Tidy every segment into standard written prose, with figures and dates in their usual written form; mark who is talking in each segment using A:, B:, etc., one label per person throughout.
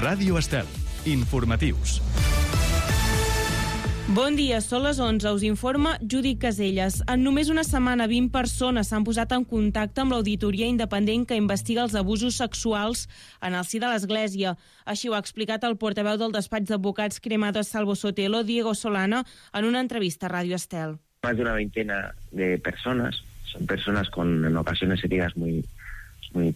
A: Ràdio Estel. Informatius.
B: Bon dia, són les 11, us informa Judit Caselles. En només una setmana, 20 persones s'han posat en contacte amb l'auditoria independent que investiga els abusos sexuals en el si de l'Església. Així ho ha explicat el portaveu del despatx d'advocats Cremades Salvo Sotelo, Diego Solana, en una entrevista a Ràdio Estel.
C: Más de una veintena de personas, son personas con en ocasiones heridas muy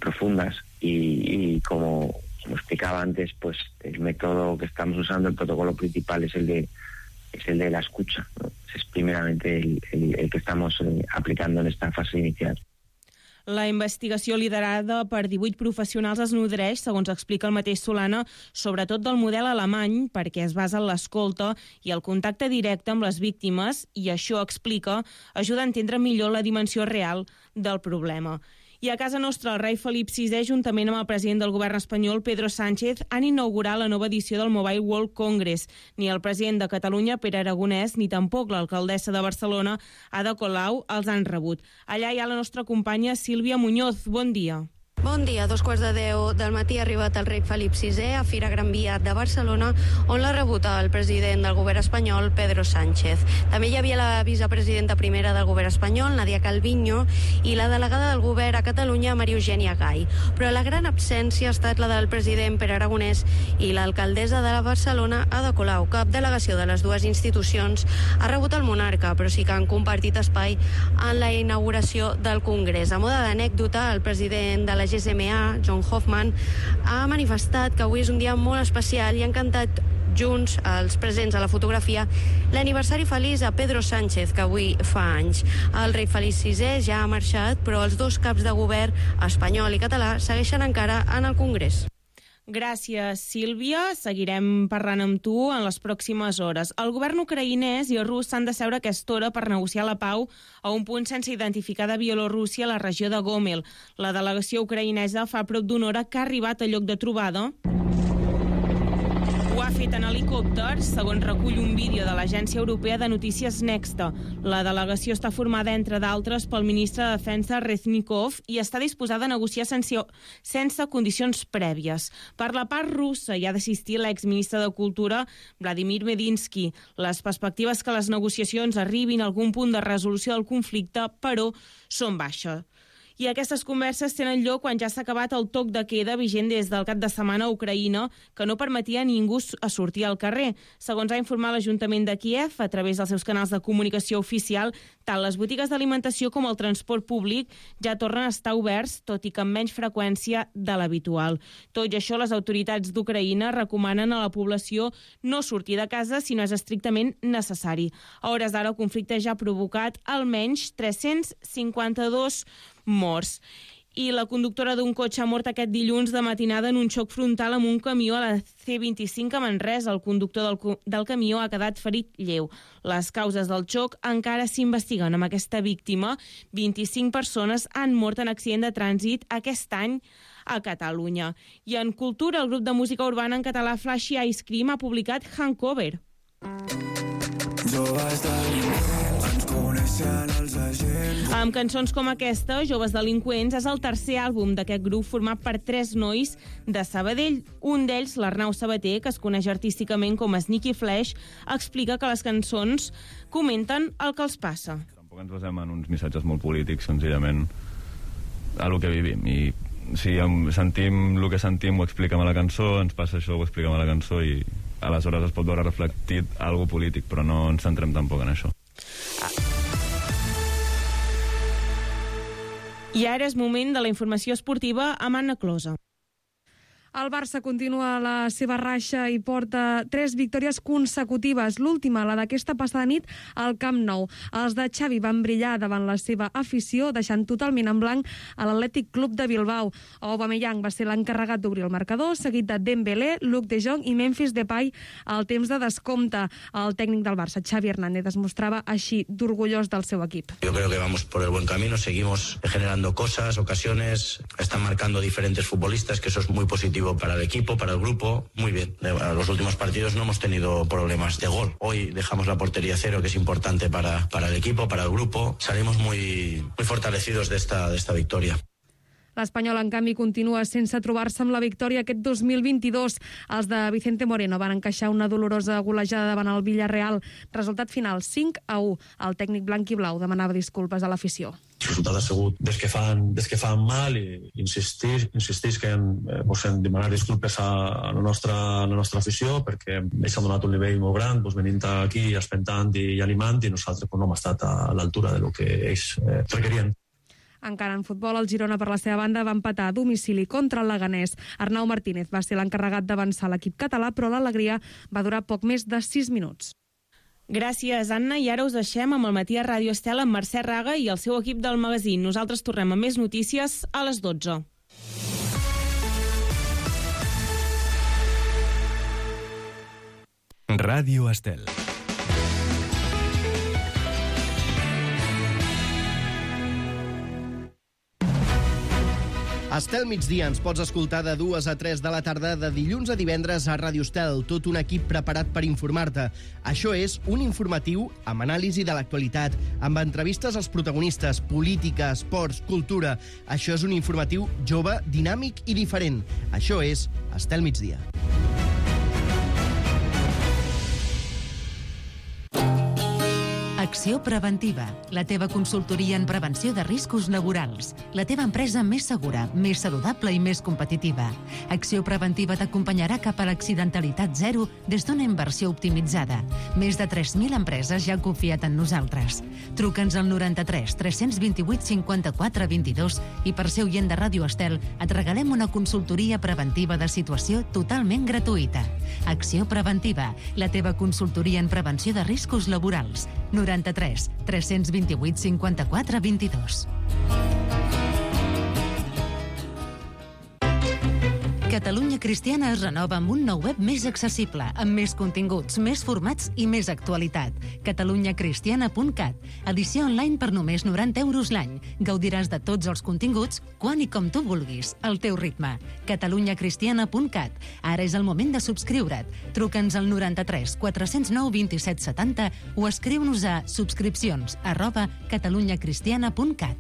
C: profundas y como explicaba antes, pues el método que estamos usando, el protocolo principal es el de la escucha, ¿no? Es primeramente el que estamos aplicando en esta fase inicial.
B: La investigació liderada per 18 professionals es nodreix, segons explica el mateix Solana, sobretot del model alemany, perquè es basa en l'escolta i el contacte directe amb les víctimes, i això, explica, ajuda a entendre millor la dimensió real del problema. I a casa nostra, el rei Felip VI, juntament amb el president del govern espanyol, Pedro Sánchez, han inaugurat la nova edició del Mobile World Congress. Ni el president de Catalunya, Pere Aragonès, ni tampoc l'alcaldessa de Barcelona, Ada Colau, els han rebut. Allà hi ha la nostra companya Sílvia Muñoz. Bon dia.
D: Bon dia, 2:15 del matí ha arribat el rei Felip VI a Fira Gran Via de Barcelona, on l'ha rebut el president del govern espanyol, Pedro Sánchez. També hi havia la vicepresidenta primera del govern espanyol, Nadia Calviño, i la delegada del govern a Catalunya, Maria Eugènia Gai. Però la gran absència ha estat la del president Pere Aragonès i l'alcaldessa de Barcelona, Ada Colau. Cap delegació de les dues institucions ha rebut el monarca, però sí que han compartit espai en la inauguració del Congrés. A moda d'anècdota, el president de la GSMA, John Hoffman, ha manifestat que avui és un dia molt especial i han cantat junts, els presents a la fotografia, l'aniversari feliç a Pedro Sánchez, que avui fa anys. El rei Felip VI ja ha marxat, però els dos caps de govern, espanyol i català, segueixen encara en el Congrés.
B: Gràcies, Sílvia. Seguirem parlant amb tu en les pròximes hores. El govern ucraïnès i el rus s'han de seure a aquesta hora per negociar la pau a un punt sense identificar de Bielorússia, a la regió de Gomel. La delegació ucraïnesa fa prop d'una hora que ha arribat al lloc de trobada. Ho ha fet en helicòpter, segons recull un vídeo de l'Agència Europea de Notícies Nexta. La delegació està formada, entre d'altres, pel ministre de Defensa Reznikov i està disposada a negociar sense condicions prèvies. Per la part russa hi ha d'assistir l'exministre de Cultura, Vladimir Medinsky. Les perspectives que les negociacions arribin a algun punt de resolució del conflicte, però, són baixes. I aquestes converses tenen lloc quan ja s'ha acabat el toc de queda vigent des del cap de setmana a Ucraïna, que no permetia a ningú a sortir al carrer. Segons ha informat l'Ajuntament de Kiev, a través dels seus canals de comunicació oficial, tant les botigues d'alimentació com el transport públic ja tornen a estar oberts, tot i que amb menys freqüència de l'habitual. Tot i això, les autoritats d'Ucraïna recomanen a la població no sortir de casa si no és estrictament necessari. A hores d'ara, el conflicte ja ha provocat almenys 352 morts. I la conductora d'un cotxe ha mort aquest dilluns de matinada en un xoc frontal amb un camió a la C25 a Manresa. El conductor del camió ha quedat ferit lleu. Les causes del xoc encara s'investiguen. Amb aquesta víctima, 25 persones han mort en accident de trànsit aquest any a Catalunya. I en cultura, el grup de música urbana en català Flashy Ice Cream ha publicat Hangover. Amb cançons com aquesta, Joves Delinqüents, és el tercer àlbum d'aquest grup format per 3 nois de Sabadell. Un d'ells, l'Arnau Sabater, que es coneix artísticament com Sneaky Flash, explica que les cançons comenten el que els passa.
E: Tampoc ens basem en uns missatges molt polítics, senzillament a lo que vivim. I si sentim el que sentim, ho expliquem a la cançó, ens passa això, ho expliquem a la cançó, i aleshores es pot veure reflectit algo polític, però no ens centrem tampoc en això.
B: I ara és moment de la informació esportiva amb Anna Closa.
F: El Barça continua la seva ratxa i porta 3 victòries consecutives. L'última, la d'aquesta passada nit, al Camp Nou. Els de Xavi van brillar davant la seva afició, deixant totalment en blanc a l'Atlètic Club de Bilbao. Aubameyang va ser l'encarregat d'obrir el marcador, seguit de Dembélé, Luc de Jong i Memphis Depay al temps de descompte. El tècnic del Barça, Xavi Hernández, es mostrava així d'orgullós del seu equip.
G: Yo creo que vamos por el buen camino, seguimos generando cosas, ocasiones, están marcando diferentes futbolistas, que eso es muy positivo para el equipo, para el grupo, muy bien. En los últimos partidos no hemos tenido problemas de gol. Hoy dejamos la portería cero, que es importante para el equipo, para el grupo. Salimos muy fortalecidos de esta victoria.
F: L'Espanyol, en canvi, continua sense trobar-se amb la victòria aquest 2022. Els de Vicente Moreno van encaixar una dolorosa golejada davant el Villarreal. Resultat final, 5-1. El tècnic blanc i blau demanava disculpes a l'afició.
H: El resultat ha sigut des que fan mal i insisteix que hem demanar disculpes a la nostra afició perquè ells han donat un nivell molt gran, venint aquí espentant i animant, i nosaltres no hem estat a l'altura de lo que ells requerien.
F: Encara en futbol, el Girona, per la seva banda, va empatar a domicili contra el Leganés. Arnau Martínez va ser l'encarregat d'avançar l'equip català, però l'alegria va durar poc més de 6 minuts.
B: Gràcies, Anna. I ara us deixem amb el Matí a Ràdio Estel amb Mercè Raga i el seu equip del magazín. Nosaltres tornem amb més notícies a les 12.
A: Ràdio Estel.
I: Estel migdia ens pots escoltar de 2 a 3 de la tarda de dilluns a divendres a Ràdio Estel, tot un equip preparat per informar-te. Això és un informatiu amb anàlisi de l'actualitat, amb entrevistes als protagonistes, política, esports, cultura. Això és un informatiu jove, dinàmic i diferent. Això és Estel migdia.
J: Acció Preventiva, la teva consultoria en prevenció de riscos laborals. La teva empresa més segura, més saludable i més competitiva. Acció Preventiva t'acompanyarà cap a l'accidentalitat zero des d'una inversió optimitzada. Més de 3.000 empreses ja han confiat en nosaltres. Truca'ns al 93 328 54 22 i per ser oient de Ràdio Estel et regalem una consultoria preventiva de situació totalment gratuïta. Acció Preventiva, la teva consultoria en prevenció de riscos laborals. 93 328 54 22. Catalunya Cristiana es renova amb un nou web més accessible, amb més continguts, més formats i més actualitat. catalunyacristiana.cat. Edició online per només 90 € l'any. Gaudiràs de tots els continguts, quan i com tu vulguis, al teu ritme. catalunyacristiana.cat. Ara és el moment de subscriure't. Truca'ns al 93 409 27 70 o escriu-nos a subscripcions@catalunyacristiana.cat.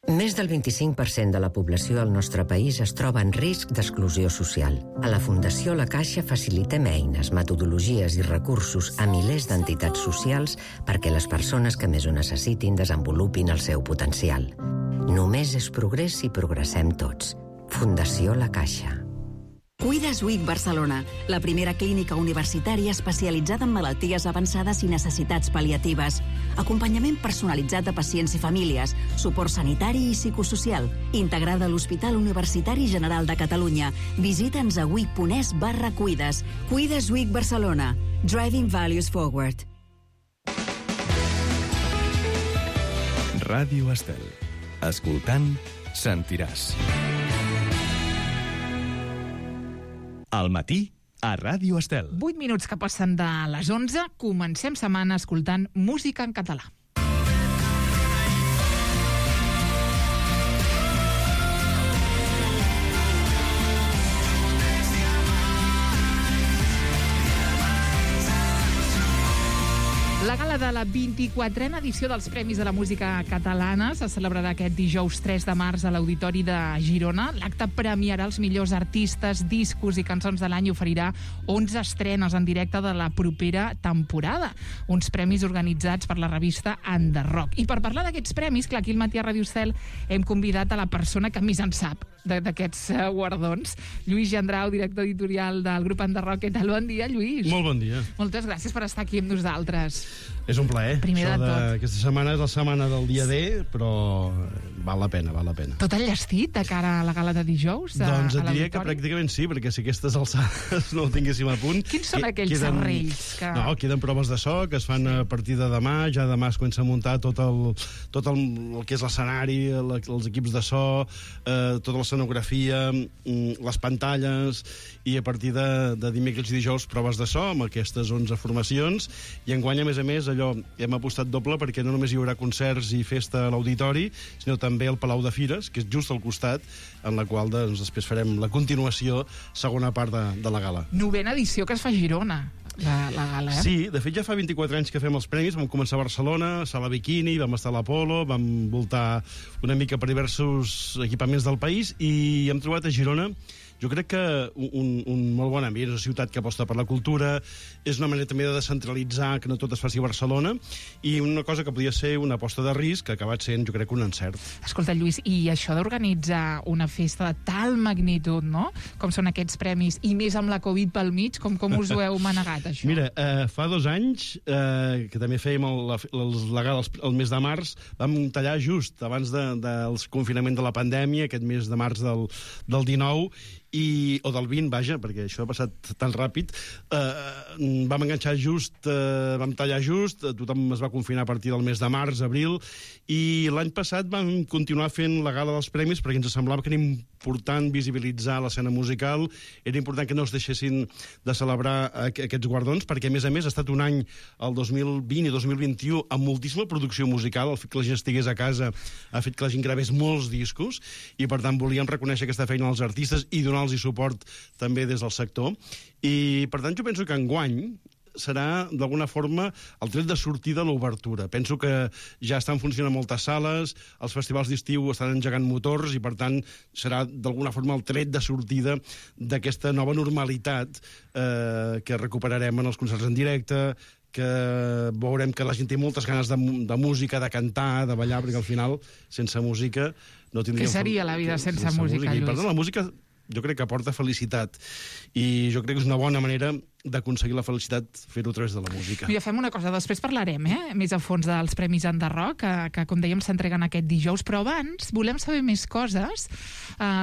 K: Més del 25% de la població al nostre país es troba en risc d'exclusió social. A la Fundació La Caixa facilitem eines, metodologies i recursos a milers d'entitats socials perquè les persones que més ho necessitin desenvolupin el seu potencial. Només és progrés si progressem tots. Fundació La Caixa.
L: Cuides Week Barcelona, la primera clínica universitària especialitzada en malalties avançades i necessitats pal·liatives. Acompanyament personalitzat de pacients i famílies, suport sanitari i psicosocial, integrada a l'Hospital Universitari General de Catalunya. Visita'ns a week.es/cuides. Cuides Week Barcelona. Driving Values Forward.
A: Ràdio Estel. Escoltant, sentiràs. Al matí, a Ràdio Estel.
M: 8 minuts que passen de les 11, comencem setmana escoltant música en català. La gala de la 24a edició dels Premis de la Música Catalana se celebrarà aquest dijous 3 de març a l'Auditori de Girona. L'acte premiarà els millors artistes, discos i cançons de l'any i oferirà 11 estrenes en directe de la propera temporada. Uns premis organitzats per la revista Enderrock. I per parlar d'aquests premis, clar, aquí al Matí a Ràdio Estel hem convidat a la persona que més en sap d'aquests guardons. Lluís Gendrau, director editorial del grup Enderrock. Què tal? Bon dia, Lluís.
N: Molt bon dia.
M: Moltes gràcies per estar aquí amb nosaltres.
N: És un plaer.
M: Primer de tot.
N: Aquesta setmana és la setmana del dia D, però val la pena, val la pena.
M: Tot enllestit de cara a la gala de dijous?
N: Doncs et diria que pràcticament sí, perquè si aquestes alçades no ho tinguéssim a punt...
M: Quins són aquells serrells?
N: No, queden proves de so que es fan a partir de demà. Ja demà es comença a muntar tot el que és l'escenari, els equips de so, tota l'escenografia, les pantalles, i a partir de dimecres i dijous proves de so amb aquestes 11 formacions, i enguany, a més, allò hem apostat doble perquè no només hi haurà concerts i festa a l'auditori, sinó també al Palau de Fires, que és just al costat, en la qual doncs, després farem la continuació, segona part de la gala.
M: 9a edició que es fa a Girona. la gala, eh?
N: Sí, de fet ja fa 24 anys que fem els premis. Vam començar a Barcelona, a Sala Bikini, vam estar a l'Apolo, vam voltar una mica per diversos equipaments del país i hem trobat a Girona, jo crec que un molt bon ambient. És una ciutat que aposta per la cultura, és una manera també de descentralitzar, que no tot es faci a Barcelona, i una cosa que podia ser una aposta de risc, que ha acabat sent, jo crec, un encert.
M: Escolta, Lluís, i això d'organitzar una festa de tal magnitud, no?, com són aquests premis, i més amb la Covid pel mig, com us ho heu manegat, això?
N: Mira, fa 2 anys, que també fèiem la gala el mes de març, vam tallar just abans del confinament de la pandèmia, aquest mes de març del 19, o del 20, vaja, perquè això ha passat tan ràpid. Vam enganxar just, vam tallar just, tothom es va confinar a partir del mes de març, abril, i l'any passat vam continuar fent la gala dels premis perquè ens semblava que era important visibilitzar l'escena musical, era important que no es deixessin de celebrar aquests guardons, perquè a més ha estat un any, el 2020 i 2021, amb moltíssima producció musical. El fet que la gent estigués a casa ha fet que la gent gravés molts discos, i per tant volíem reconèixer aquesta feina als artistes i donar-los suport també des del sector. I per tant jo penso que enguany serà d'alguna forma el tret de sortida de l'obertura. Penso que ja estan funcionant moltes sales, els festivals d'estiu estan engegant motors i per tant serà d'alguna forma el tret de sortida d'aquesta nova normalitat que recuperarem en els concerts en directe, que veurem que la gent té moltes ganes de música, de cantar, de ballar, perquè al final sense música no tindríem...
M: Què seria la vida sense música, Lluís?
N: I per tant la música jo crec que aporta felicitat, i jo crec que és una bona manera d'aconseguir la felicitat fer-ho a través de la música.
M: Mira, fem una cosa, després parlarem més a fons dels Premis Enderrock, que com dèiem s'entreguen aquest dijous, però abans volem saber més coses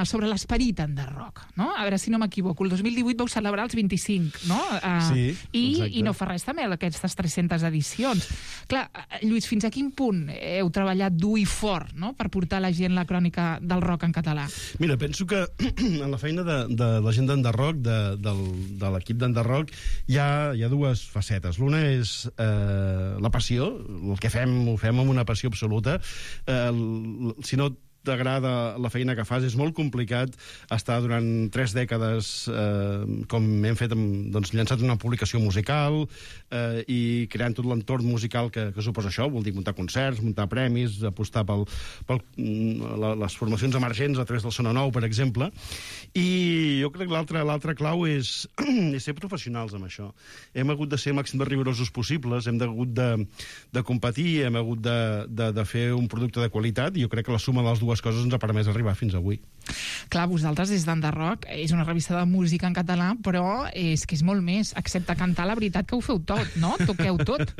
M: sobre l'esperit Enderrock, no? A veure si no m'equivoco, el 2018 vau celebrar els 25, no?
N: Sí,
M: i no fa res també aquestes 300 edicions. Clar, Lluís, fins a quin punt heu treballat dur i fort, no?, per portar a la gent la crònica del rock en català?
N: Mira, penso que en la feina de la gent d'Enderrock, de l'equip d'Enderrock, hi ha 2 facetes. L'una és la passió, el que fem ho fem amb una passió absoluta. Si no t'agrada la feina que fas, és molt complicat estar durant 3 dècades, com hem fet, doncs, llançat una publicació musical i creant tot l'entorn musical que suposa això. Vol dir muntar concerts, muntar premis, apostar per les formacions emergents a través del Sona Nou, per exemple. I jo crec que l'altra clau és ser professionals amb això. Hem hagut de ser màxim de rigorosos possibles, hem hagut de competir, hem hagut de fer un producte de qualitat, i jo crec que la suma de les dues coses ens ha permès arribar fins avui.
M: Clar, vosaltres des d'Enderrock és una revista de música en català, però és que és molt més. Excepte cantar, la veritat que ho feu tot, no? Toqueu tot.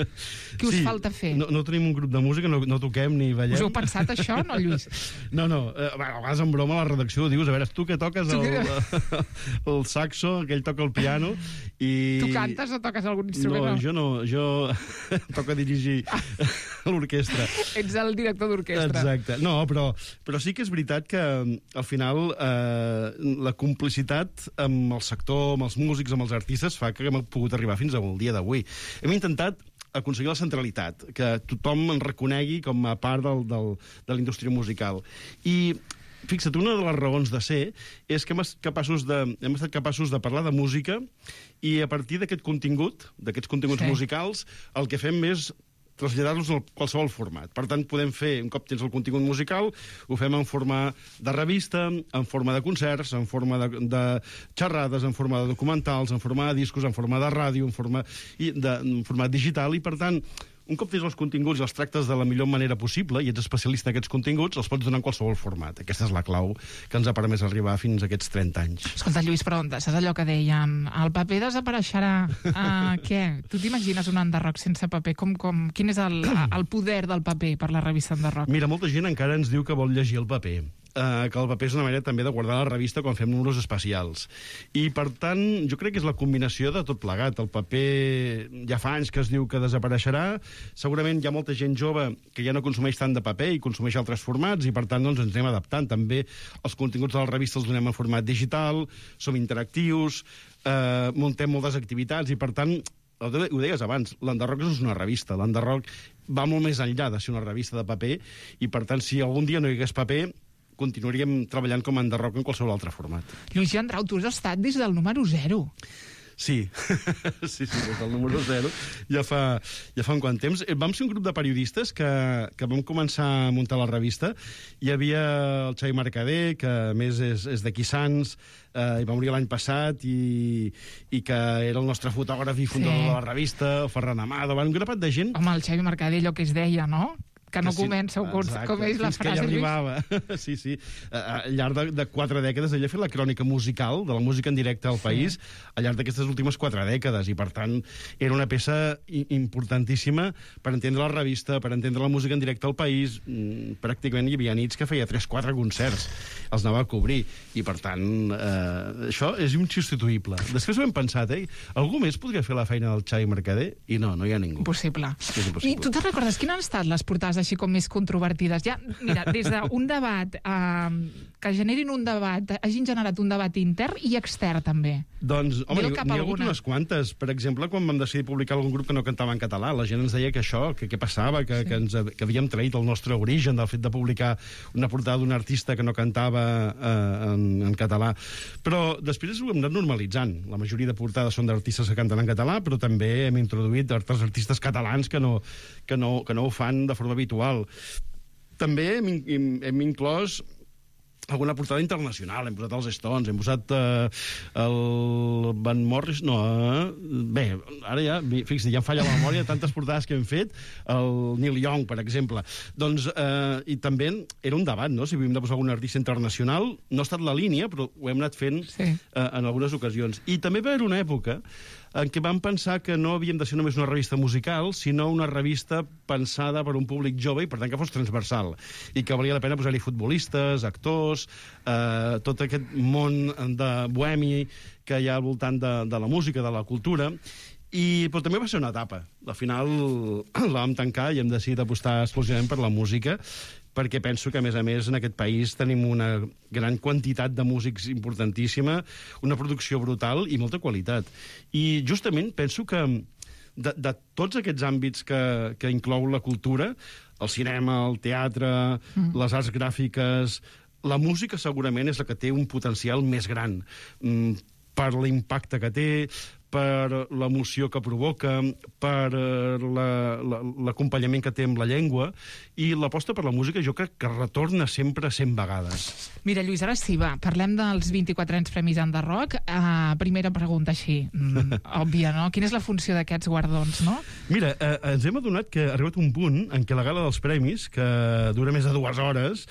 M: Què us falta fer?
N: No tenim un grup de música, no toquem ni ballem.
M: Us heu pensat això, no, Lluís?
N: No. A vegades en broma a la redacció dius, a veure, tu que toques el saxo, aquell toca el piano, i...
M: Tu cantes o toques algun instrument?
N: No, jo toco a dirigir l'orquestra.
M: Ets el director d'orquestra.
N: Exacte. No, però sí que és veritat que al final la complicitat amb el sector, amb els músics, amb els artistes, fa que hem pogut arribar fins al dia d'avui. Hem intentat aconseguir la centralitat, que tothom en reconegui com a part de la indústria musical. I fixa't, una de les raons de ser és que hem estat capaços de parlar de música, i a partir d'aquests continguts musicals, el que fem és traslladar-los a qualsevol format. Per tant, podem fer, un cop tens el contingut musical, ho fem en forma de revista, en forma de concerts, en forma de xerrades, en forma de documentals, en forma de discos, en forma de ràdio, en format digital, i per tant, un cop tens els continguts i els tractes de la millor manera possible i ets especialista en aquests continguts, els pots donar en qualsevol format. Aquesta és la clau que ens ha permès arribar fins a aquests 30 anys.
M: Escolta, Lluís, però saps allò que deien? El paper desapareixerà. Què? Tu t'imagines un Enderrock sense paper? Quin és el poder del paper per la revista Enderrock?
N: Mira, molta gent encara ens diu que vol llegir el paper. Que el paper és una manera també de guardar la revista quan fem números especials. I, per tant, jo crec que és la combinació de tot plegat. El paper ja fa anys que es diu que desapareixerà. Segurament hi ha molta gent jove que ja no consumeix tant de paper i consumeix altres formats, i, per tant, doncs, ens anem adaptant. També els continguts de la revista els donem en format digital, som interactius, muntem moltes activitats, i, per tant, ho deies abans, l'Enderrock no és una revista. L'Enderrock va molt més enllà de ser una revista de paper, i, per tant, si algun dia no hi hagués paper, continuaríem treballant com a Enderrock en qualsevol altre format.
M: Lluís Gendrau, tu has estat des del número 0.
N: Sí, sí, des del número 0 ja fa un quant temps. Vam ser un grup de periodistes que vam començar a muntar la revista. Hi havia el Xavi Mercader, que a més és d'aquí Sants, i va morir l'any passat, i que era el nostre fotògraf i fundador de la revista, el Ferran Amado, un grapat de gent.
M: Home, el Xavi Mercader, allò que es deia, no? Que no comença, com és la frase,
N: Lluís. Fins que ja arribava. Sí, sí. Al llarg de 4 dècades, ell ha fet la crònica musical de la música en directe al país al llarg d'aquestes últimes 4 dècades, i per tant era una peça importantíssima per entendre la revista, per entendre la música en directe al país. Pràcticament hi havia nits que feia 3-4 concerts, els anava a cobrir, i per tant això és insubstituïble. Després ho hem pensat, algú més podria fer la feina del Xavi Mercader? I no hi ha ningú.
M: Impossible. I tu te'n recordes quines han estat les portades així com més controvertides? Ja, mira, des d'un debat que generin un debat, hagin generat un debat intern i extern, també.
N: Doncs, home, n'hi ha hagut unes quantes. Per exemple, quan vam decidir publicar algun grup que no cantava en català, la gent ens deia que això, que què passava, que havíem traït el nostre origen del fet de publicar una portada d'un artista que no cantava en català. Però després ho hem anat normalitzant. La majoria de portades són d'artistes que canten en català, però també hem introduït altres artistes catalans que no ho fan de forma habitual. També hem inclòs alguna portada internacional. Hem posat els Stones, hem posat el Van Morris... No, bé, ara ja, fixa't, ja em falla la memòria de tantes portades que hem fet. El Neil Young, per exemple. Doncs, i també era un debat, no?, si havíem de posar algun artista internacional. No ha estat la línia, però ho hem anat fent en algunes ocasions. I també va haver una època en què vam pensar que no havíem de ser només una revista musical, sinó una revista pensada per un públic jove i, per tant, que fos transversal. I que valia la pena posar-hi futbolistes, actors, tot aquest món de bohemi que hi ha al voltant de la música, de la cultura. Però també va ser una etapa. Al final la vam tancar i hem decidit apostar exclusivament per la música, perquè penso que, a més, en aquest país tenim una gran quantitat de músics importantíssima, una producció brutal i molta qualitat. I justament penso que de tots aquests àmbits que inclou la cultura, el cinema, el teatre, les arts gràfiques, la música segurament és la que té un potencial més gran per l'impacte que té, per l'emoció que provoca, per l'acompanyament que té amb la llengua, i l'aposta per la música jo crec que retorna sempre 100 vegades.
M: Mira, Lluís, ara sí, va, parlem dels 24 anys Premis Enderrock. Primera pregunta així, òbvia, no? Quina és la funció d'aquests guardons, no?
N: Mira, ens hem adonat que ha arribat un punt en què la gala dels premis, que dura més de 2 hores,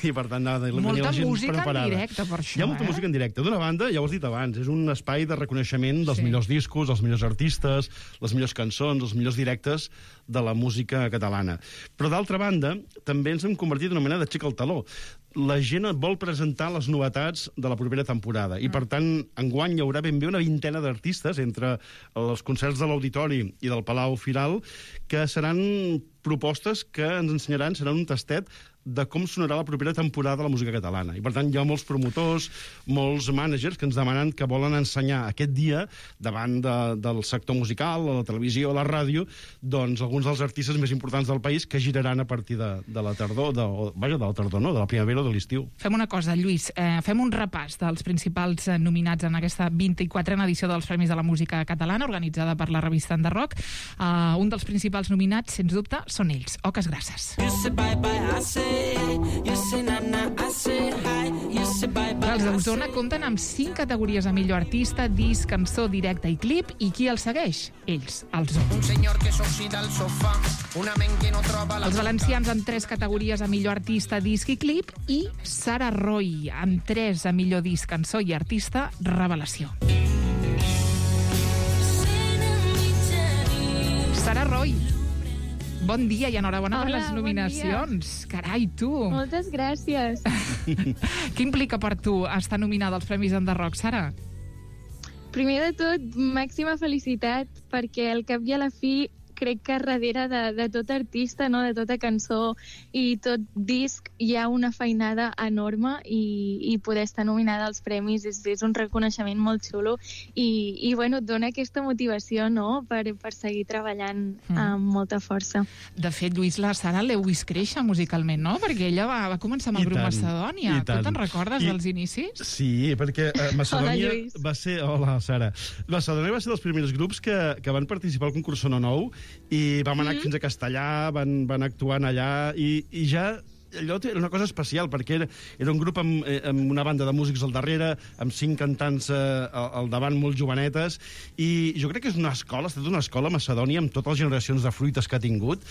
N: i per tant la gent
M: molta música preparada. En directe, per això,
N: hi ha molta música en directe. D'una banda, ja ho has dit abans, és un espai de reconeixement dels millors discos, els millors artistes, les millors cançons, els millors directes de la música catalana. Però d'altra banda, també ens hem convertit en una mena de xic al taló. La gent vol presentar les novetats de la propera temporada, i per tant, enguany hi haurà ben bé una vintena d'artistes entre els concerts de l'Auditori i del Palau Firal, que seran propostes que ens ensenyaran, seran un tastet de com sonarà la propera temporada de la música catalana. I per tant hi ha molts promotors, molts mànagers que ens demanen que volen ensenyar aquest dia, davant del sector musical, a la televisió, a la ràdio, doncs alguns dels artistes més importants del país que giraran a partir de la tardor, de la tardor, no, de la primavera o de l'estiu.
M: Fem una cosa, Lluís, fem un repàs dels principals nominats en aquesta 24a edició dels Premis de la Música Catalana, organitzada per la revista Enderrock. Un dels principals nominats, sens dubte, són ells. Oques grasses. Els d'Osona compten amb 5 categories a millor artista, disc, cançó, directe i clip, i qui els segueix? Ells, els Osona. Els valencians amb 3 categories a millor artista, disc i clip, i Sara Roy amb 3 a millor disc, cançó i artista, revelació. Sara Roy, bon dia i enhorabona per les nominacions. Bon carai, tu!
O: Moltes gràcies.
M: Què implica per tu estar nominada als Premis Enderrock, Sara?
O: Primer de tot, màxima felicitat, perquè al cap i a la fi crec que darrere de tot artista, no? De tota cançó i tot disc hi ha una feinada enorme i poder estar nominada als premis és un reconeixement molt xulo i bueno, et dona aquesta motivació, no? Per seguir treballant amb molta força.
M: De fet, Lluís, la Sara l'heu vist créixer musicalment, no? Perquè ella va començar amb el grup Macedònia. Tu te'n recordes dels inicis?
N: Sí, perquè Macedònia va ser... Hola, Sara. Macedònia va ser dels primers grups que van participar al concurs Sono Nou i vam anar fins a Castellà, van actuant allà i ja... allò era una cosa especial, perquè era un grup amb una banda de músics al darrere, amb 5 cantants al davant, molt jovenetes, i jo crec que és una escola, ha estat una escola Macedònia amb totes les generacions de fruites que ha tingut,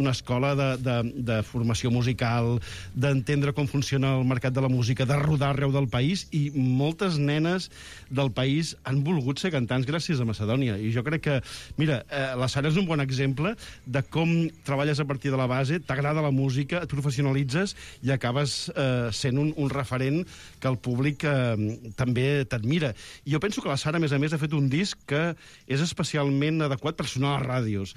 N: una escola de formació musical, d'entendre com funciona el mercat de la música, de rodar arreu del país, i moltes nenes del país han volgut ser cantants gràcies a Macedònia, i jo crec que, mira, la Sara és un bon exemple de com treballes a partir de la base, t'agrada la música, et professionalitzes i acabes sent un referent que el públic també t'admira. I jo penso que la Sara, a més, ha fet un disc que és especialment adequat per sonar a les ràdios.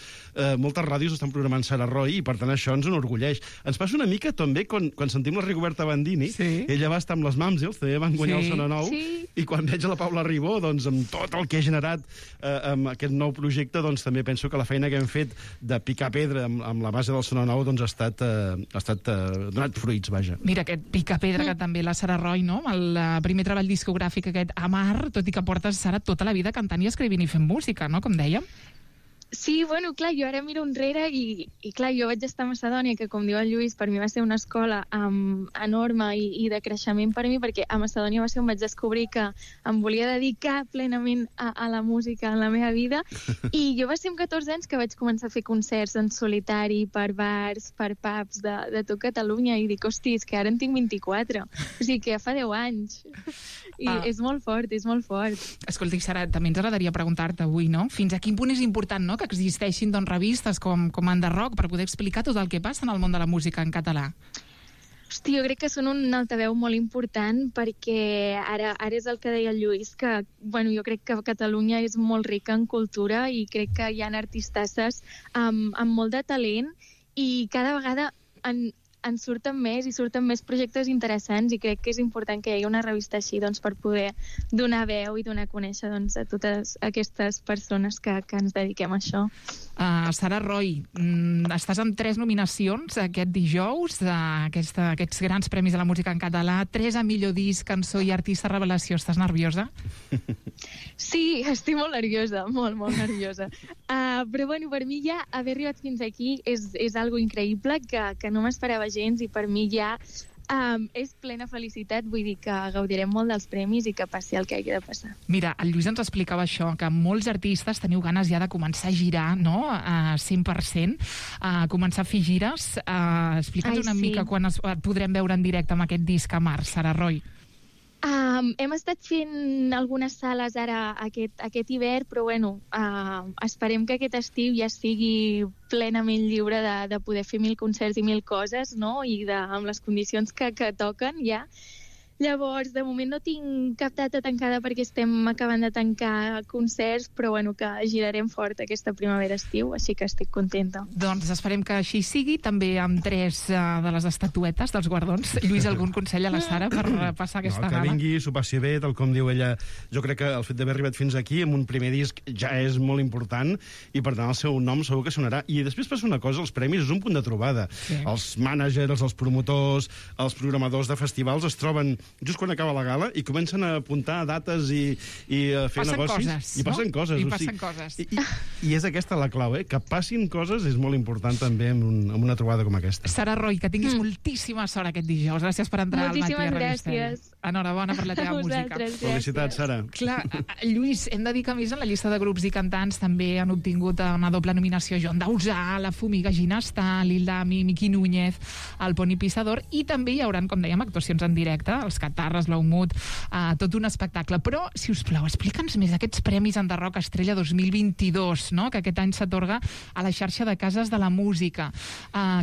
N: Moltes ràdios estan programant Sara Roy i, per tant, això ens enorgulleix. Ens passa una mica també quan sentim la Rigoberta Bandini. Ella va estar amb les Mamsels, també van guanyar el Sono Nou, i quan veig a la Paula Ribó, doncs, amb tot el que ha generat amb aquest nou projecte, doncs també penso que la feina que hem fet de picar pedra amb la base del Sono Nou doncs ha estat donat fruits, vaja.
M: Mira, aquest picapedra que també la Sara Roy, no? El primer treball discogràfic aquest Amar, tot i que portes, Sara, tota la vida cantant i escrivint i fent música, no? Com dèiem.
O: Sí, bueno, clar, jo ara miro enrere i clar, jo vaig estar a Macedònia, que com diu el Lluís, per mi va ser una escola enorme i de creixement per mi, perquè a Macedònia va ser on vaig descobrir que em volia dedicar plenament a la música en la meva vida, i jo va ser amb 14 anys que vaig començar a fer concerts en solitari, per bars, per pubs de tot Catalunya, i dic, hosti, és que ara en tinc 24, o sigui que ja fa 10 anys, i és molt fort, és molt fort.
M: Escolta, Sara, també ens agradaria preguntar-te avui, no? Fins a quin punt és important, no?, que existeixin revistes com Enderrock per poder explicar tot el que passa en el món de la música en català.
O: Hosti, jo crec que són un altaveu molt important perquè ara és el que deia el Lluís, que bueno, jo crec que Catalunya és molt rica en cultura i crec que hi ha artistasses amb molt de talent i cada vegada en surten més projectes interessants i crec que és important que hi hagi una revista així doncs, per poder donar veu i donar a conèixer doncs, a totes aquestes persones que ens dediquem a això.
M: Sara Roy, estàs amb 3 nominacions aquest dijous, aquests grans premis de la música en català, 3 a millor disc, cançó i artista revelació. Estàs nerviosa?
O: Sí, estic molt nerviosa, molt nerviosa. Però bueno, per mi ja haver arribat fins aquí és algo increïble que no m'esperava gens i per mi ja és plena felicitat, vull dir que gaudirem molt dels premis i que passi el que hagi de passar.
M: Mira, el Lluís ens explicava això, que molts artistes teniu ganes ja de començar a girar, no?, 100%, començar a fer gires. Explica'ns una mica quan et podrem veure en directe amb aquest disc Amar, Sara Roy.
O: Hem estat fent algunes sales ara aquest hivern, però bueno, esperem que aquest estiu ja sigui plenament lliure de poder fer 1000 concerts i 1000 coses, no? I amb les condicions que toquen ja. Llavors, de moment no tinc cap data tancada perquè estem acabant de tancar concerts, però bueno, que girarem fort aquesta primavera-estiu, així que estic contenta.
M: Doncs esperem que així sigui, també amb 3 de les estatuetes dels guardons. Lluís, algun consell a la Sara per passar aquesta gala?
N: Que vingui, s'ho passi bé, tal com diu ella. Jo crec que el fet d'haver arribat fins aquí amb un primer disc ja és molt important i per tant el seu nom segur que sonarà. I després passa una cosa, els premis és un punt de trobada. Sí. Els mànagers, els promotors, els programadors de festivals es troben just quan acaba la gala i comencen a apuntar dates i a fer negocis. I passen coses. I és aquesta la clau, que passin coses és molt important també en una trobada com aquesta.
M: Sara Roy, que tinguis moltíssima sort aquest dijous. Gràcies per entrar al Matí a Radio Estel.
O: Gràcies.
M: Enhorabona per la teva música.
N: Felicitats, Sara.
M: Clar, Lluís, hem de dir que a més en la llista de grups i cantants també han obtingut una doble nominació Joan Dausà, La Fumiga Ginastà, Lil Dami, Miqui Núñez. al Poni Pissador, i també hi haurà, com dèiem, actuacions en directe, els Catarres, l'Aumut, tot un espectacle. Però, si us plau, explica'ns més aquests Premis Enderroc Estrella 2022, no?, que aquest any s'atorga a la xarxa de Cases de la Música.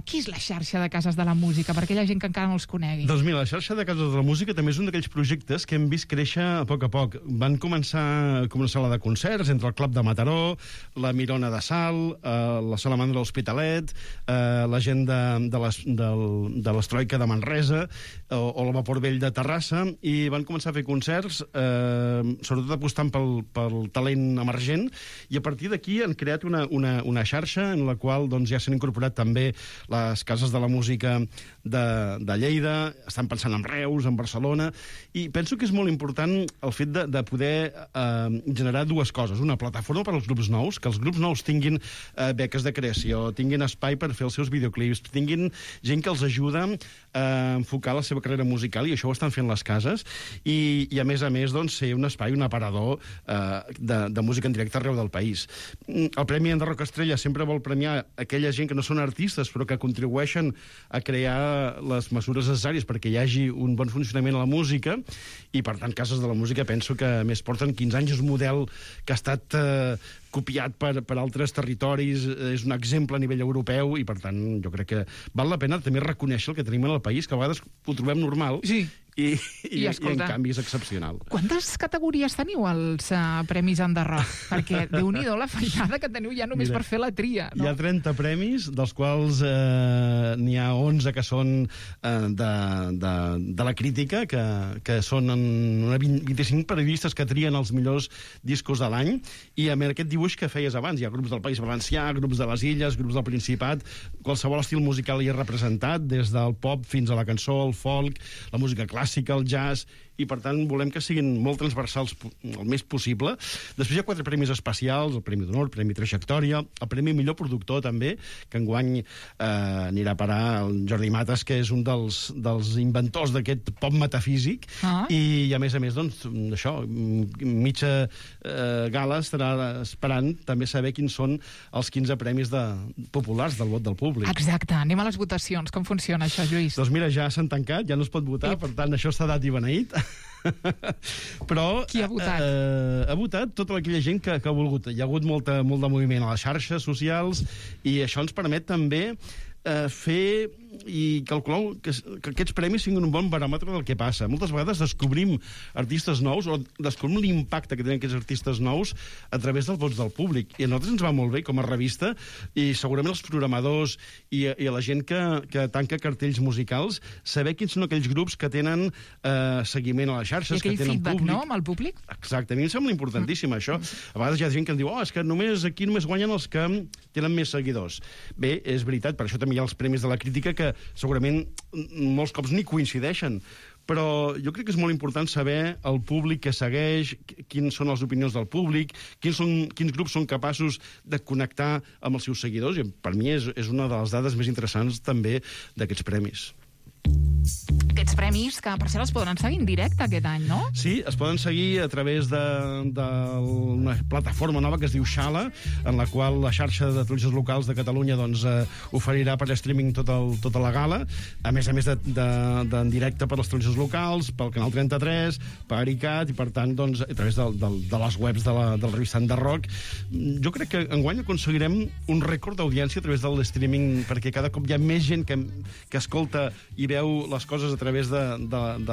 M: Qui és la xarxa de Cases de la Música? Per aquella gent que encara no els conegui.
N: Doncs mira, la xarxa de Cases de la Música també és un d'aquells projectes que hem vist créixer a poc. Van començar com una sala de concerts entre el Club de Mataró, la Mirona de Salt, la Salamandra de l'Hospitalet, la gent de l'Estroika de Manresa o el Vapor Vell de Terrassa, i van començar a fer concerts, sobretot apostant pel talent emergent, i a partir d'aquí han creat una xarxa en la qual doncs, ja s'han incorporat també les Cases de la Música de Lleida, estan pensant en Reus, en Barcelona, i penso que és molt important el fet de poder generar dues coses. Una plataforma per als grups nous, que els grups nous tinguin beques de creació, tinguin espai per fer els seus videoclips, tinguin gent que els ajuda a enfocar la seva carrera musical, i això ho estan fent les cases, i a més, doncs, ser un espai, un aparador de música en directe arreu del país. El Premi Enderroc Estrella sempre vol premiar aquella gent que no són artistes, però que contribueixen a crear les mesures necessàries perquè hi hagi un bon funcionament a la música, i per tant Cases de la Música penso que a més porten 15 anys, és un model que ha estat copiat per altres territoris, és un exemple a nivell europeu, i per tant jo crec que val la pena també reconèixer el que tenim en el país, que a vegades ho trobem normal,
M: sí.
N: I en canvi és excepcional.
M: Quantes categories teniu als Premis Enderroc? Perquè déu-n'hi-do la feinada que teniu ja només per fer la tria, no?
N: Hi ha 30 premis, dels quals n'hi ha 11 que són de la crítica, que són 25 periodistes que trien els millors discos de l'any, i a més aquest dibuix que feies abans, hi ha grups del País Valencià, grups de les Illes, grups del Principat, qualsevol estil musical hi és representat, des del pop fins a la cançó, el folk, la música clàssica, el jazz, i per tant volem que siguin molt transversals el més possible. Després hi ha 4 premis especials, el Premi d'Honor, el Premi Trajectòria, el Premi Millor Productor també, que enguany anirà a parar el Jordi Matas, que és un dels inventors d'aquest pop metafísic, i a més, doncs, això, mitja gala estarà esperant també saber quins són els 15 premis populars del vot del públic.
M: Exacte, anem a les votacions. Com funciona això, Lluís?
N: Doncs mira, ja s'han tancat, ja no es pot votar, per tant, això està dat i beneït. Però
M: qui ha votat?
N: Ha votat tota aquella gent que ha volgut. Hi ha hagut molt de moviment a les xarxes socials, i això ens permet també fer i calcular que aquests premis siguin un bon baròmetre del que passa. Moltes vegades descobrim artistes nous o descobrim l'impacte que tenen aquests artistes nous a través dels vots del públic, i a nosaltres ens va molt bé com a revista, i segurament els programadors i a la gent que tanca cartells musicals, saber quins són aquells grups que tenen seguiment a les xarxes, que tenen
M: feedback,
N: públic.
M: No?, amb el públic?
N: Exacte, a mi em sembla importantíssim això. A vegades hi ha gent que em diu és que aquí només guanyen els que tenen més seguidors. Bé, és veritat, per això també hi ha els premis de la crítica, que segurament molts cops ni coincideixen, però jo crec que és molt important saber el públic que segueix, quines són les opinions del públic, quins grups són capaços de connectar amb els seus seguidors, i per mi és una de les dades més interessants també d'aquests premis.
M: Aquests premis, que per cert els poden seguir en directe aquest any, no?
N: Sí, es poden seguir a través d'una plataforma nova que es diu Xala, en la qual la xarxa de televisions locals de Catalunya doncs, oferirà per streaming tota la gala, a més d'en directe per les televisions locals, pel Canal 33, per ICAT, i per tant, doncs, a través de les webs de la revista Enderroc. Jo crec que enguany aconseguirem un rècord d'audiència a través del streaming, perquè cada cop hi ha més gent que escolta i veu les coses a través de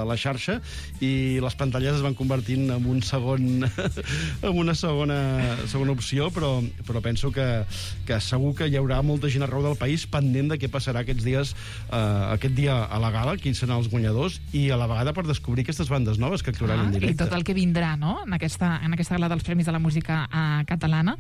N: la xarxa, i les pantalles es van convertint en una segona opció, però penso que segur que hi haurà molta gent arreu del país pendent de què passarà aquests dies, aquest dia a la gala, quins seran els guanyadors, i a la vegada per descobrir aquestes bandes noves que actuaran en directe.
M: I tot el que vindrà, no?, en aquesta gala dels Premis de la Música Catalana,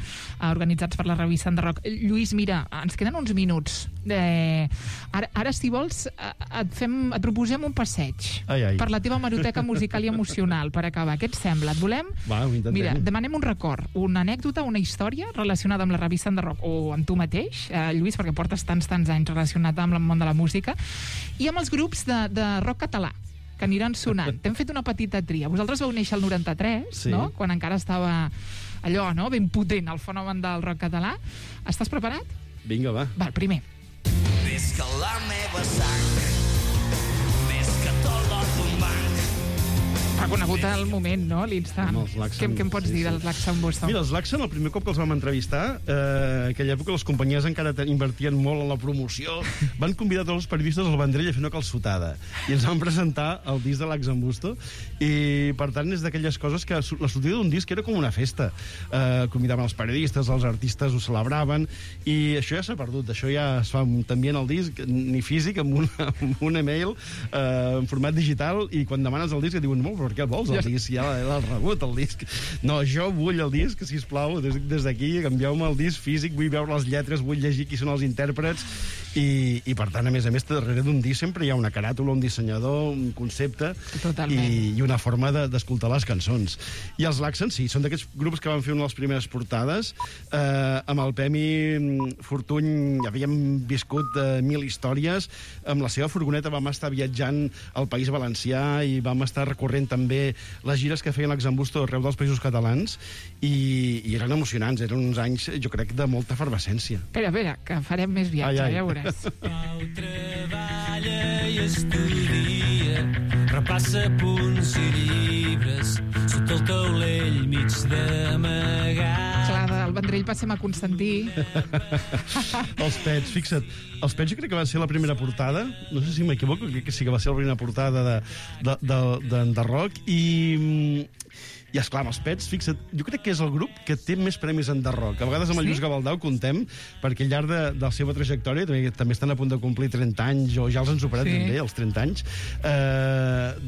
M: organitzats per la revista Enderroc. Lluís, mira, ens queden uns minuts. Ara, si vols, et proposem un passeig per la teva hemeroteca musical i emocional, per acabar. Què et sembla? Et volem?
N: Va, ho intentem.
M: Mira, demanem un record, una anècdota, una història relacionada amb la revista Enderroc, o amb tu mateix, Lluís, perquè portes tants anys relacionat amb el món de la música, i amb els grups de rock català, que aniran sonant. T'hem fet una petita tria. Vosaltres vau néixer el 93, sí, no?, quan encara estava allò, no?, ben potent, el fenomen del rock català. Estàs preparat?
N: Vinga, va.
M: Va, el primer.
P: Visca la meva sang
M: conegut al moment, no?, l'instant. Què em pots dir dels Lax'n'Busto?
N: Mira, els Lax'n, el primer cop que els vam entrevistar, aquella època les companyies encara invertien molt en la promoció, van convidar tots els periodistes al Vendrell a fer una calçotada. I ens van presentar el disc de Lax'n'Busto. I, per tant, és d'aquelles coses que la sortida d'un disc era com una festa. Convidaven els periodistes, els artistes ho celebraven, i això ja s'ha perdut. Això ja es fa també en el disc, ni físic, amb un email, en format digital, i quan demanes el disc et diuen, per què el vols, el disc? Ja l'has rebut, el disc. No, jo vull el disc, sisplau, des d'aquí, canvieu-me el disc físic, vull veure les lletres, vull llegir qui són els intèrprets, i per tant, a més, darrere d'un disc sempre hi ha una caràtula, un dissenyador, un concepte, i una forma d'escoltar les cançons. I els Lax'n, sí, són d'aquests grups que van fer una de les primeres portades. Amb el Pemi Fortuny havíem viscut 1000 històries. Amb la seva furgoneta vam estar viatjant al País Valencià i vam estar recorrent també les gires que feien Lax'n'Busto arreu dels països catalans, i eren emocionants, eren uns anys, jo crec, de molta efervescència.
M: Espera, que farem més viatge, ja veuràs.
P: Pau treballa i estudia, repassa punts i llibres, sota el taulell mig d'amagat.
M: Clar, del Vendrell passem a Constantí.
N: Els Pets, fixa't, els Pets jo crec que va ser la primera portada, no sé si m'equivoco, crec que sí que va ser la primera portada d'Enderrock, i esclar, amb els Pets, fixa't, jo crec que és el grup que té més premis en Enderrock. A vegades amb el Lluís Gavaldà ho contem, perquè al llarg de la seva trajectòria també estan a punt de complir 30 anys, o ja els han superat també, els 30 anys.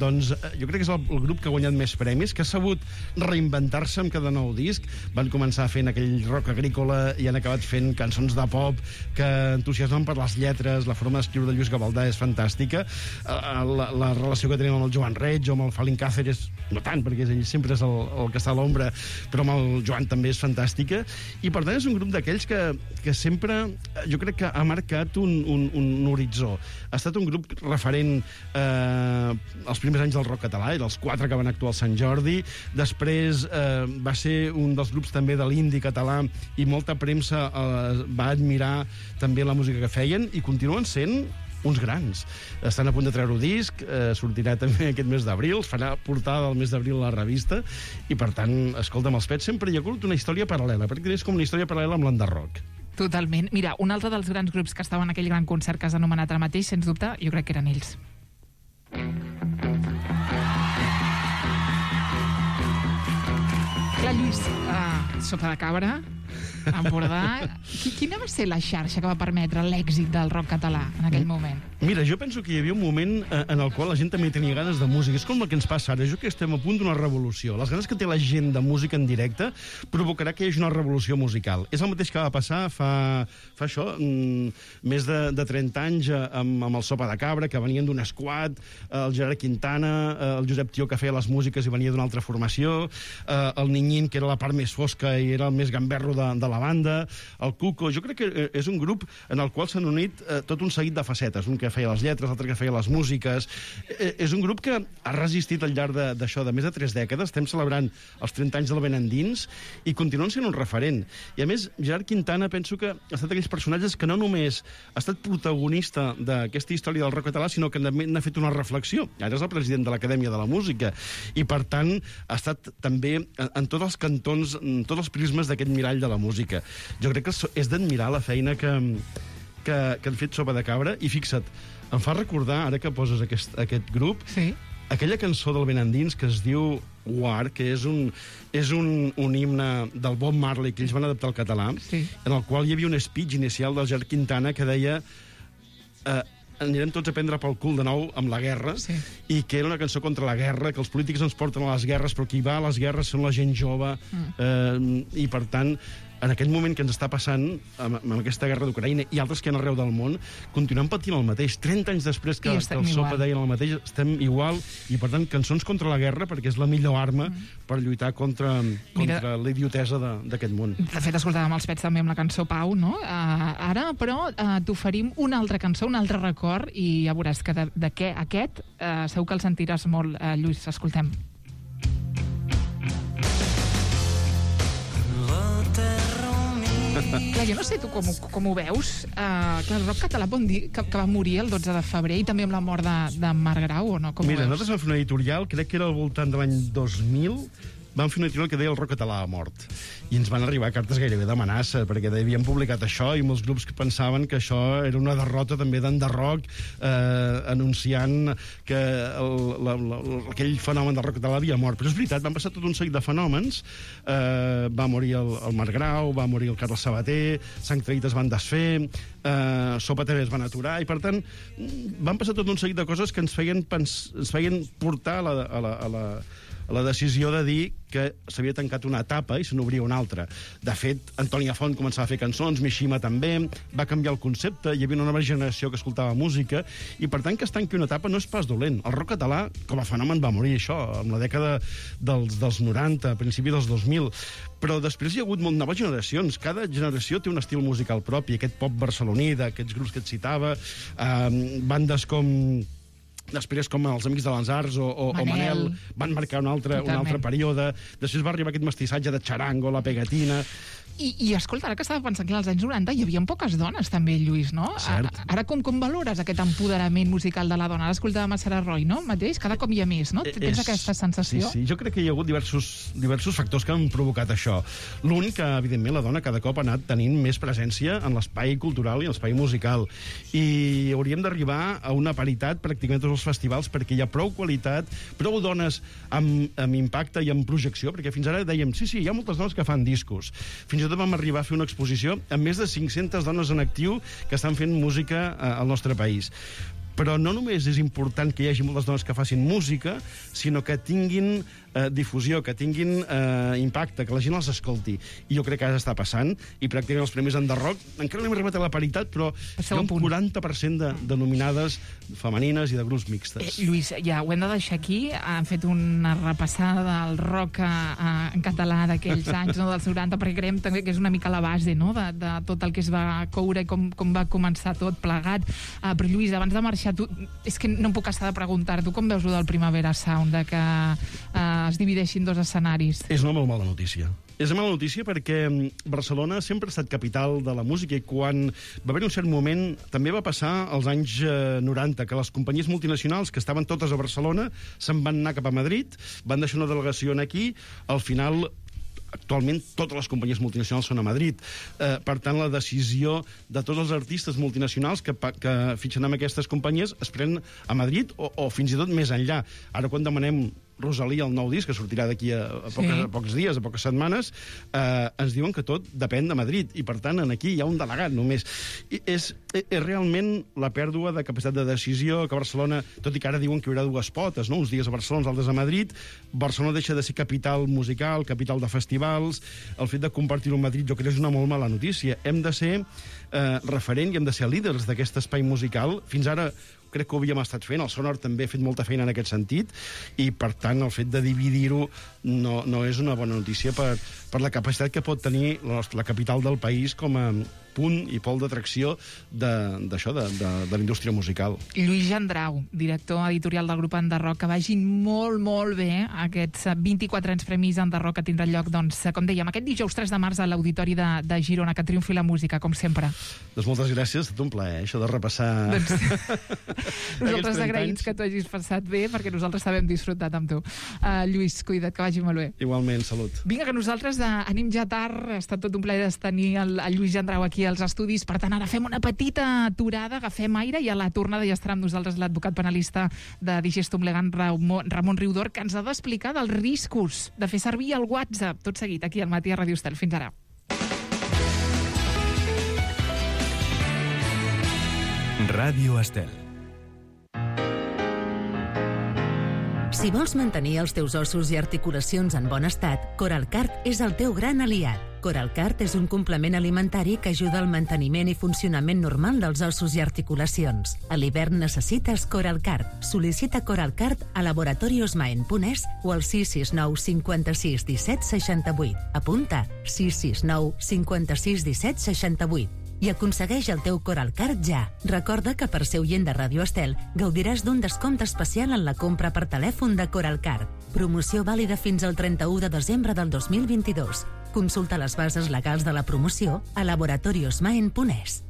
N: Doncs jo crec que és el grup que ha guanyat més premis, que ha sabut reinventar-se amb cada nou disc. Van començar fent aquell rock agrícola i han acabat fent cançons de pop que entusiasmen per les lletres, la forma d'escriure de Lluís Gavaldà és fantàstica. La relació que tenim amb el Joan Reig o amb el Falín Cáceres, no tant, perquè ell sempre és el que està a l'ombra, però amb el Joan també és fantàstica, i per tant és un grup d'aquells que sempre, jo crec que ha marcat un horitzó. Ha estat un grup referent als primers anys del rock català, eren els 4 que van actuar al Sant Jordi, després va ser un dels grups també de l'indi català, i molta premsa va admirar també la música que feien, i continuen sent uns grans. Estan a punt de treure un disc, sortirà també aquest mes d'abril, es farà portada del mes d'abril a la revista, i per tant, escolta'm, els Pets sempre hi ha hagut una història paral·lela, perquè és com una història paral·lela amb l'Enderrock.
M: Totalment. Mira, un altre dels grans grups que estaven en aquell gran concert que has anomenat ara mateix, sens dubte, jo crec que eren ells. Clar, Lluís, Sopa de Cabra, Empordà. Quina va ser la xarxa que va permetre l'èxit del rock català en aquell moment?
N: Mira, jo penso que hi havia un moment en el qual la gent també tenia ganes de música. És com el que ens passa ara. Jo crec que estem a punt d'una revolució. Les ganes que té la gent de música en directe provocarà que hi hagi una revolució musical. És el mateix que va passar fa això, més de 30 anys amb el Sopa de Cabra, que venien d'un squad, el Gerard Quintana, el Josep Tió, que feia les músiques i venia d'una altra formació, el Niñín, que era la part més fosca i era el més gamberro de la banda, el Cuco. Jo crec que és un grup en el qual s'han unit tot un seguit de facetes, un que feia les lletres, l'altre que feia les músiques. És un grup que ha resistit al llarg d'això, de més de 3 dècades. Estem celebrant els 30 anys del Ben Endins i continuen sent un referent. I a més, Gerard Quintana penso que ha estat d'aquells personatges que no només ha estat protagonista d'aquesta història del rock català, sinó que n'ha fet una reflexió. Ara és el president de l'Acadèmia de la Música i, per tant, ha estat també en tots els cantons, en tots els prismes d'aquest mirall de la música. Jo crec que és d'admirar la feina que han fet Sopa de Cabra, i fixa't, em fa recordar, ara que poses aquest grup, aquella cançó del Ben Endins que es diu War, que és un himne del Bob Marley que ells van adaptar al català, en el qual hi havia un speech inicial del Gerard Quintana que deia anirem tots a prendre pel cul de nou amb la guerra, i que era una cançó contra la guerra, que els polítics ens porten a les guerres, però qui va a les guerres són la gent jove, i per tant, en aquest moment que ens està passant amb aquesta guerra d'Ucraïna i altres que hi ha arreu del món, continuem patint el mateix. 30 anys després que el Sopa deien el mateix, estem igual, i per tant, cançons contra la guerra, perquè és la millor arma per lluitar contra la idiotesa d'aquest món.
M: De fet, escoltàvem els Pets també amb la cançó Pau, no? Ara, però, t'oferim una altra cançó, un altre record, i ja veuràs que aquest segur que el sentiràs molt, Lluís. Escoltem. Clar, jo no sé tu com ho veus. Que el rock català pot dir que va morir el 12 de febrer i també amb la mort de Marc Grau, o no?
N: Mira, nosaltres vam fer una editorial, crec que era al voltant de l'any 2000, vam fer una editorial que deia el rock català ha mort. I ens van arribar cartes gairebé d'amenaça, perquè havien publicat això i molts grups que pensaven que això era una derrota també d'enderrock, anunciant que aquell fenomen del rock català havia mort. Però és veritat, van passar tot un seguit de fenòmens. Va morir el Marc Grau, va morir el Carles Sabater, Sang Traït es van desfer, Sopa TV es van aturar, i per tant van passar tot un seguit de coses que ens feien portar a la decisió de dir que s'havia tancat una etapa i se n'obria una altra. De fet, Antoni Font començava a fer cançons, Mishima també, va canviar el concepte, hi havia una nova generació que escoltava música, i per tant que es tanqui una etapa no és pas dolent. El rock català, com a fenomen, va morir això, en la dècada dels 90, a principi dels 2000, però després hi ha hagut noves generacions. Cada generació té un estil musical propi, aquest pop barceloní, d'aquests grups que et citava, bandes com... Després, com els Amics de les Arts o Manel, van marcar un altre període. Després va arribar aquest mestissatge de Charango, la Pegatina...
M: I escolta, ara que estava pensant que als anys 90 hi havia poques dones també, Lluís, no? Ara com valores aquest empoderament musical de la dona? Ara escoltàvem a Sarah Roy, no? Mateix, cada cop hi ha més, no? Tens aquesta sensació?
N: Sí, jo crec que hi ha hagut diversos factors que han provocat això. L'únic que, evidentment, la dona cada cop ha anat tenint més presència en l'espai cultural i en l'espai musical. I hauríem d'arribar a una paritat pràcticament tots els festivals, perquè hi ha prou qualitat, prou dones amb impacte i amb projecció, perquè fins ara dèiem, sí, hi ha moltes dones que fan discos. Fins i tot vam arribar a fer una exposició amb més de 500 dones en actiu que estan fent música al nostre país. Però no només és important que hi hagi moltes dones que facin música, sinó que tinguin difusió, que tinguin impacte, que la gent els escolti. I jo crec que ara està passant, i pràcticament els premis Enderrock, encara no hem arribat a la paritat, però hi ha un 40% de nominades femenines i de grups mixtes.
M: Lluís, ja ho hem de deixar aquí. Han fet una repassada del rock en català d'aquells anys, no, dels 90, perquè creiem també que és una mica la base, no, de tot el que es va coure i com va començar tot plegat. Però, Lluís, abans de marxar, és que no em puc estar de preguntar-te, com veus el Primavera Sound, de que es divideixin dos escenaris?
N: És una molt mala notícia. És una mala notícia perquè Barcelona sempre ha estat capital de la música, i quan va haver un cert moment, també va passar als anys 90, que les companyies multinacionals que estaven totes a Barcelona se'n van anar cap a Madrid, van deixar una delegació aquí, al final... Actualment totes les companyies multinacionals són a Madrid. Per tant, la decisió de tots els artistes multinacionals que fitxen amb aquestes companyies es pren a Madrid o fins i tot més enllà. Ara, quan demanem Rosalía, el nou disc, que sortirà d'aquí a pocs dies, a poques setmanes, ens diuen que tot depèn de Madrid, i per tant aquí hi ha un delegat només. És realment la pèrdua de capacitat de decisió, que Barcelona, tot i que ara diuen que hi haurà dues potes, no? Uns dies a Barcelona, uns altres a Madrid, Barcelona deixa de ser capital musical, capital de festivals. El fet de compartir-ho a Madrid jo crec que és una molt mala notícia. Hem de ser referent i hem de ser líders d'aquest espai musical. Fins ara crec que ho havíem estat fent, el Sonor també ha fet molta feina en aquest sentit, i per tant el fet de dividir-ho no és una bona notícia per la capacitat que pot tenir la capital del país com a punt i pol d'atracció d'això, de la indústria musical.
M: Lluís Gendrau, director editorial del grup Enderrock, que vagin molt, molt bé aquests 24 anys premis Enderrock que tindran lloc, doncs, com dèiem, aquest dijous 3 de març a l'Auditori de Girona, que triomfi la música, com sempre.
N: Doncs moltes gràcies, ha estat un plaer, això de repassar...
M: Nosaltres agraïts que t'ho hagis passat bé, perquè nosaltres també hem disfrutat amb tu. Lluís, cuida't, que vagi molt bé.
N: Igualment, salut.
M: Vinga, que nosaltres anem ja tard, ha estat tot un plaer tenir el Lluís Gendrau aquí als estudis, per tant ara fem una petita aturada, agafem aire, i a la tornada ja estarà amb nosaltres l'advocat penalista de Digestum Legal, Ramon Riudor, que ens ha d'explicar dels riscos de fer servir el WhatsApp. Tot seguit, aquí al Matí a Ràdio Estel. Fins ara.
A: Ràdio Estel.
J: Si vols mantenir els teus ossos i articulacions en bon estat, Coralcart és el teu gran aliat. Coralcart és un complement alimentari que ajuda al manteniment i funcionament normal dels ossos i articulacions. A l'hivern necessites Coralcart. Sol·licita Coralcart a laboratoriosmaen.es o al 669 56 17 68. Apunta 669 56 17 68. I aconsegueix el teu Coralcart ja. Recorda que per ser oient de Ràdio Estel gaudiràs d'un descompte especial en la compra per telèfon de Coralcart. Promoció vàlida fins al 31 de desembre del 2022. Consulta les bases legals de la promoció a laboratoriosmaen.es.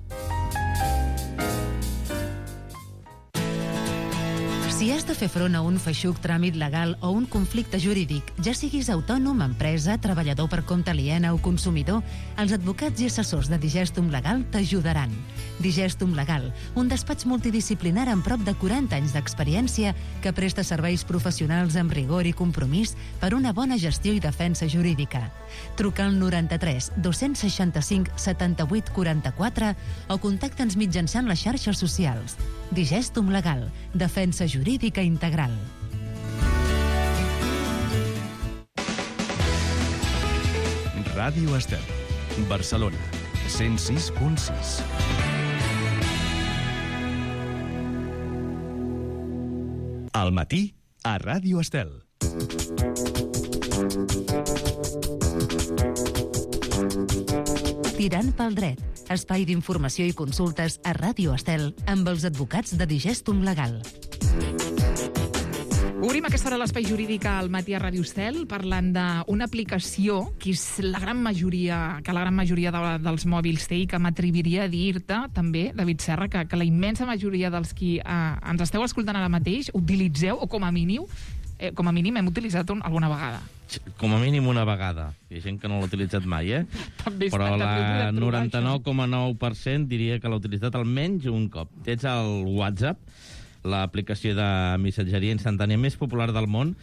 J: Si has de fer front a un feixuc tràmit legal o un conflicte jurídic, ja siguis autònom, empresa, treballador per compte aliena o consumidor, els advocats i assessors de Digestum Legal t'ajudaran. Digestum Legal, un despatx multidisciplinar amb prop de 40 anys d'experiència que presta serveis professionals amb rigor i compromís per una bona gestió i defensa jurídica. Truca al 93 265 78 44 o contacta'ns mitjançant les xarxes socials. Digestum Legal, defensa jurídica integral.
A: Ràdio Estel, Barcelona, 106.6. Al matí, a Ràdio Estel.
J: Tirant pel dret, espai d'informació i consultes a Ràdio Estel amb els advocats de Digestum Legal.
M: Obrim aquesta hora l'espai jurídic al matí a Ràdio Estel parlant d'una aplicació que és la gran majoria dels mòbils té i que m'atreviria a dir-te també, David Serra, que la immensa majoria dels qui ens esteu escoltant ara mateix utilitzeu, o com a mínim hem utilitzat alguna vegada.
Q: Com a mínim una vegada. Hi ha gent que no l'ha utilitzat mai, Però la 99,9% diria que l'ha utilitzat almenys un cop. Tens el WhatsApp, l'aplicació de missatgeria instantània més popular del món,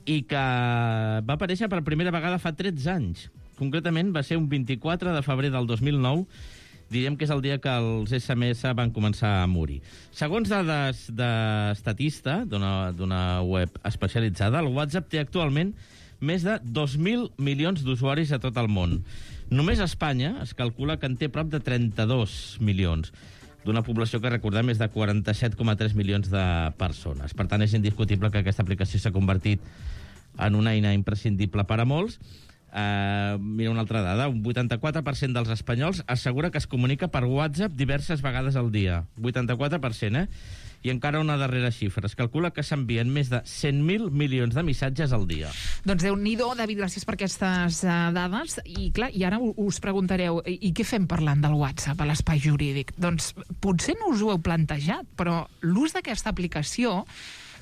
Q: i que va aparèixer per primera vegada fa 13 anys. Concretament va ser un 24 de febrer del 2009, diríem que és el dia que els SMS van començar a morir. Segons dades d'Estatista, d'una web especialitzada, el WhatsApp té actualment més de 2.000 milions d'usuaris a tot el món. Només a Espanya es calcula que en té prop de 32 milions, d'una població que, recordem, és de 47,3 milions de persones. Per tant, és indiscutible que aquesta aplicació s'ha convertit en una eina imprescindible per a molts. Mira una altra dada, un 84% dels espanyols assegura que es comunica per WhatsApp diverses vegades al dia. 84%, I encara una darrera xifra. Es calcula que s'envien més de 100.000 milions de missatges al dia.
M: Doncs Déu-n'hi-do, David, gràcies per aquestes dades. I clar, i ara us preguntareu, i què fem parlant del WhatsApp a l'espai jurídic? Doncs potser no us ho heu plantejat, però l'ús d'aquesta aplicació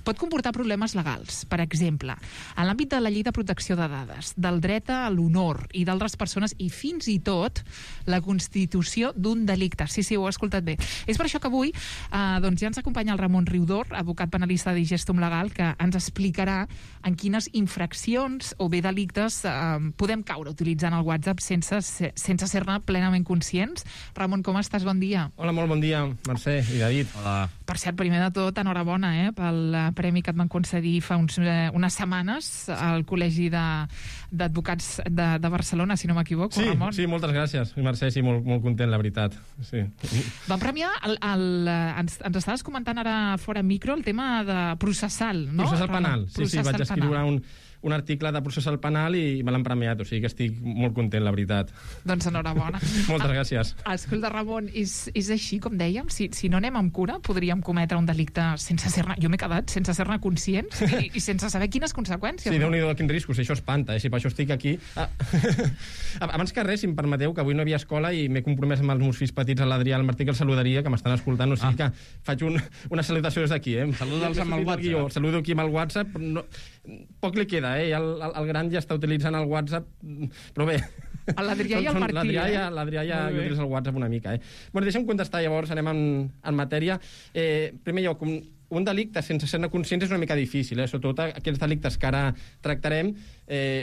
M: pot comportar problemes legals. Per exemple, en l'àmbit de la llei de protecció de dades, del dret a l'honor i d'altres persones, i fins i tot la constitució d'un delicte. Sí, ho he escoltat bé. És per això que avui doncs ja ens acompanya el Ramon Riudor, advocat penalista de Digestum Legal, que ens explicarà en quines infraccions o bé delictes podem caure utilitzant el WhatsApp sense ser-ne plenament conscients. Ramon, com estàs? Bon dia.
R: Hola, molt bon dia, Mercè i David.
Q: Hola.
M: Per cert, primer de tot, enhorabona pel premi que et van concedir fa unes setmanes al Col·legi d'Advocats de Barcelona, si no m'equivoco, Ramon.
R: Sí, moltes gràcies, Mercè, sí, molt content, la veritat. Sí.
M: Van premiar, ens estaves comentant ara fora micro, el tema de processal, no?
R: Processal penal, sí, vaig escriure un article de processal penal i me l'han premiat, o sigui que estic molt content, la veritat.
M: Doncs enhorabona.
R: Moltes gràcies.
M: Escolta, Ramon, és així, com dèiem? Si no anem amb cura, podríem cometre un delicte sense ser-ne... Jo m'he quedat sense ser-ne conscients i sense saber quines conseqüències.
R: Sí, Déu-n'hi-do, quins riscos, això espanta, si per això estic aquí. Abans que res, si em permeteu, que avui no hi havia escola i m'he compromès amb els meus fills petits, l'Adrià i el Martí, que el saludaria, que m'estan escoltant, o sigui que faig una salutació des d'aquí.
Q: Saluda'ls amb el WhatsApp.
R: Saludo aquí amb el WhatsApp, poc li queda, el gran ja està utilitzant el WhatsApp, però bé...
M: L'Adrià i el Martí,
R: L'Adrià ja utilitza el WhatsApp una mica, Bueno, deixa'm contestar, llavors anem en matèria. Primer lloc, un delicte sense ser-ne conscients és una mica difícil, sobretot aquells delictes que ara tractarem,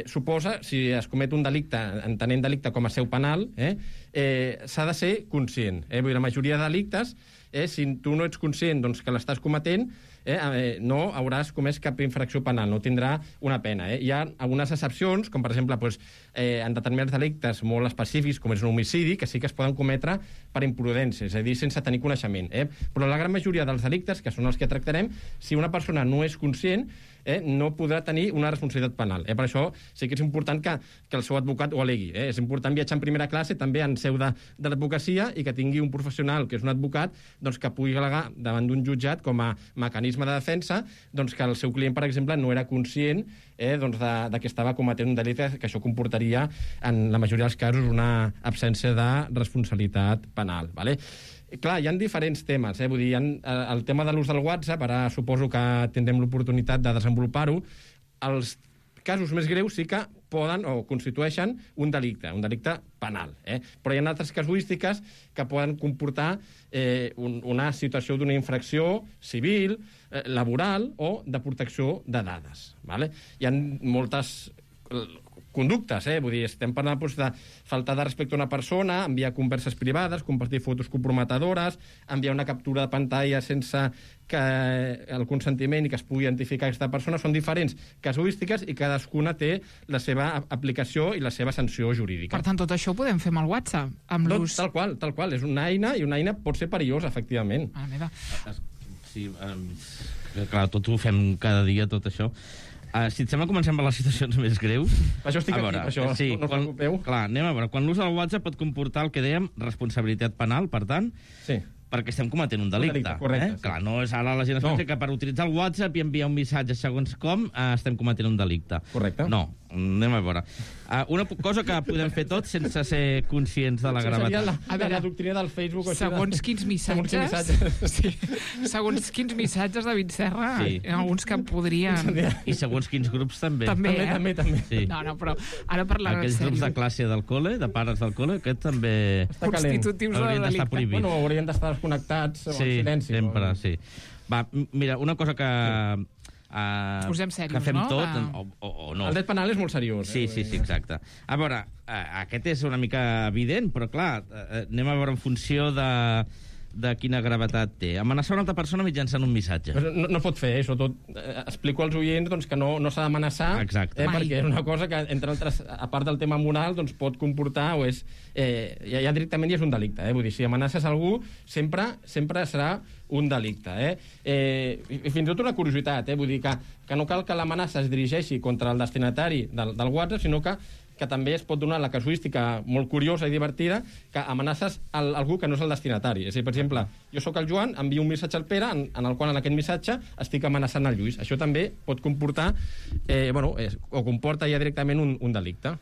R: suposa, si es comet un delicte, entenent delicte com a seu penal, s'ha de ser conscient. Vull dir, la majoria de delictes, si tu no ets conscient que l'estàs cometent, no hauràs comès cap infracció penal, no tindrà una pena. Hi ha algunes excepcions, com per exemple en determinats delictes molt específics, com és un homicidi, que sí que es poden cometre per imprudència, és a dir, sense tenir coneixement. Però la gran majoria dels delictes, que són els que tractarem, si una persona no és conscient, no podrà tenir una responsabilitat penal. Per això sí que és important que el seu advocat ho alegui. És important viatjar en primera classe, també en seu de l'advocacia, i que tingui un professional, que és un advocat, doncs, que pugui al·legar davant d'un jutjat com a mecanisme de defensa doncs, que el seu client, per exemple, no era conscient doncs de que estava cometent un delicte, que això comportaria, en la majoria dels casos, una absència de responsabilitat penal. Vale? Clar, hi ha diferents temes. Vull dir, el tema de l'ús del WhatsApp, ara suposo que tindrem l'oportunitat de desenvolupar-ho. Els casos més greus sí que poden o constitueixen un delicte penal. Però hi ha altres casuístiques que poden comportar una situació d'una infracció civil, laboral o de protecció de dades. Vale? Hi ha moltes conductes, vull dir, estem parlant de faltar de respecte a una persona, enviar converses privades, compartir fotos comprometedores, enviar una captura de pantalla sense que el consentiment i que es pugui identificar aquesta persona. Són diferents casuístiques i cadascuna té la seva aplicació i la seva sanció jurídica.
M: Per tant, tot això ho podem fer amb el WhatsApp? Amb l'ús...
R: Tal qual. És una eina, i una eina pot ser perillosa, efectivament.
Q: Sí, clar, tot ho fem cada dia, tot això. Si et sembla, comencem per les situacions més greus.
R: Això estic aquí, això,
Q: sí,
R: no us preocupeu.
Q: Clar, anem a veure. Quan l'ús del WhatsApp pot comportar el que dèiem responsabilitat penal, per tant, perquè estem cometent un delicte.
R: Correcte.
Q: Clar, no és ara la gent es pensa que per utilitzar el WhatsApp i enviar un missatge segons com estem cometent un delicte.
R: Correcte.
Q: No, anem a veure. Una cosa que podem fer tots sense ser conscients de la gravetat.
R: Seria la doctrina del Facebook.
M: Segons quins missatges. Segons quins missatges, David Serra, alguns que podrien...
Q: I segons quins grups també.
R: També.
Q: Sí.
M: No, però ara parlant en sèrio.
Q: Aquells grups de classe del col·le, de pares del col·le, aquest també...
M: Constitutius de
Q: haurien d'estar prohibits.
R: Bueno, haurien d'estar desconnectats o en silenci.
Q: Sí, sempre, sí. Va, mira, una cosa que...
M: Posem serios,
Q: que fem
M: no?
Q: tot, o no.
R: El dret penal és molt seriós.
Q: Sí, exacte. A veure, aquest és una mica evident, però clar, anem a veure en funció de quina gravetat té. Amenaçar una altra persona mitjançant un missatge.
R: No pot fer, sobretot explico als oients doncs, que no s'ha d'amenaçar, perquè és una cosa que, entre altres, a part del tema moral, doncs, pot comportar o és... ja directament ja és un delicte. Vull dir, si amenaces algú, sempre serà un delicte. I fins i tot una curiositat, vull dir que no cal que l'amenaça es dirigeixi contra el destinatari del WhatsApp, sinó que també es pot donar la casuística molt curiosa i divertida que amenaces algú que no és el destinatari. És a dir, per exemple, jo sóc el Joan, envio un missatge al Pere en el qual en aquest missatge estic amenaçant el Lluís. Això també pot comportar, o comporta ja directament un delicte.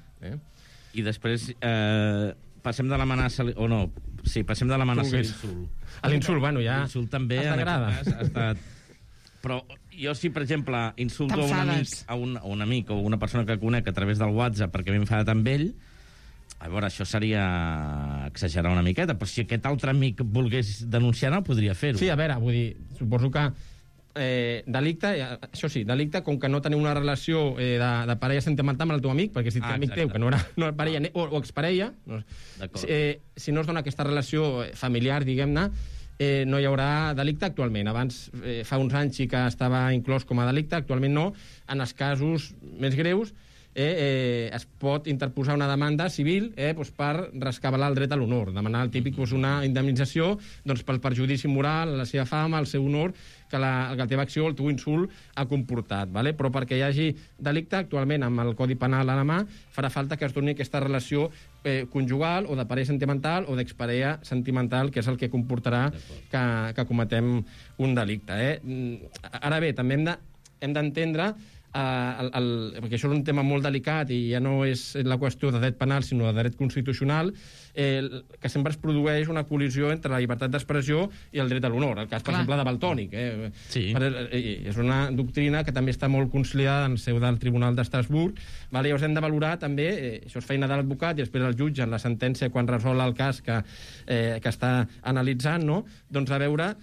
Q: I després passem de l'amenaça... O no, sí, passem de l'amenaça a l'insult.
R: A l'insult, bueno, ja...
Q: L'insult també, en aquest cas, ha estat... Però jo, si, per exemple, insulto a un amic o una persona que conec a través del WhatsApp perquè m'he enfadat amb ell, a veure, això seria exagerar una miqueta, però si aquest altre amic volgués denunciar-ho, podria fer-ho.
R: Sí, a veure, vull dir, suposo que delicte, això sí, delicte, com que no teniu una relació de parella sentimental amb el teu amic, perquè si ets amic teu, que no era parella o exparella, si no es dona aquesta relació familiar, diguem-ne, no hi haurà delicte actualment. Abans, fa uns anys sí que estava inclòs com a delicte, actualment no. En els casos més greus es pot interposar una demanda civil per rescabalar el dret a l'honor, demanar el típic una indemnització pel perjudici moral, la seva fama, el seu honor, que la teva acció, el teu insult ha comportat. Però perquè hi hagi delicte, actualment amb el Codi Penal a la mà, farà falta que es doni aquesta relació conjugal o de parella sentimental o d'exparella sentimental, que és el que comportarà que cometem un delicte. Ara bé, també hem d'entendre perquè això és un tema molt delicat i ja no és la qüestió de dret penal sinó de dret constitucional, que sempre es produeix una col·lisió entre la llibertat d'expressió i el dret a l'honor, el cas, per exemple, de Valtònyc. És una doctrina que també està molt consolidada en seu del Tribunal d'Estrasburg. Llavors hem de valorar també, això és feina de l'advocat i després el jutge en la sentència quan resol el cas que està analitzant, doncs a veure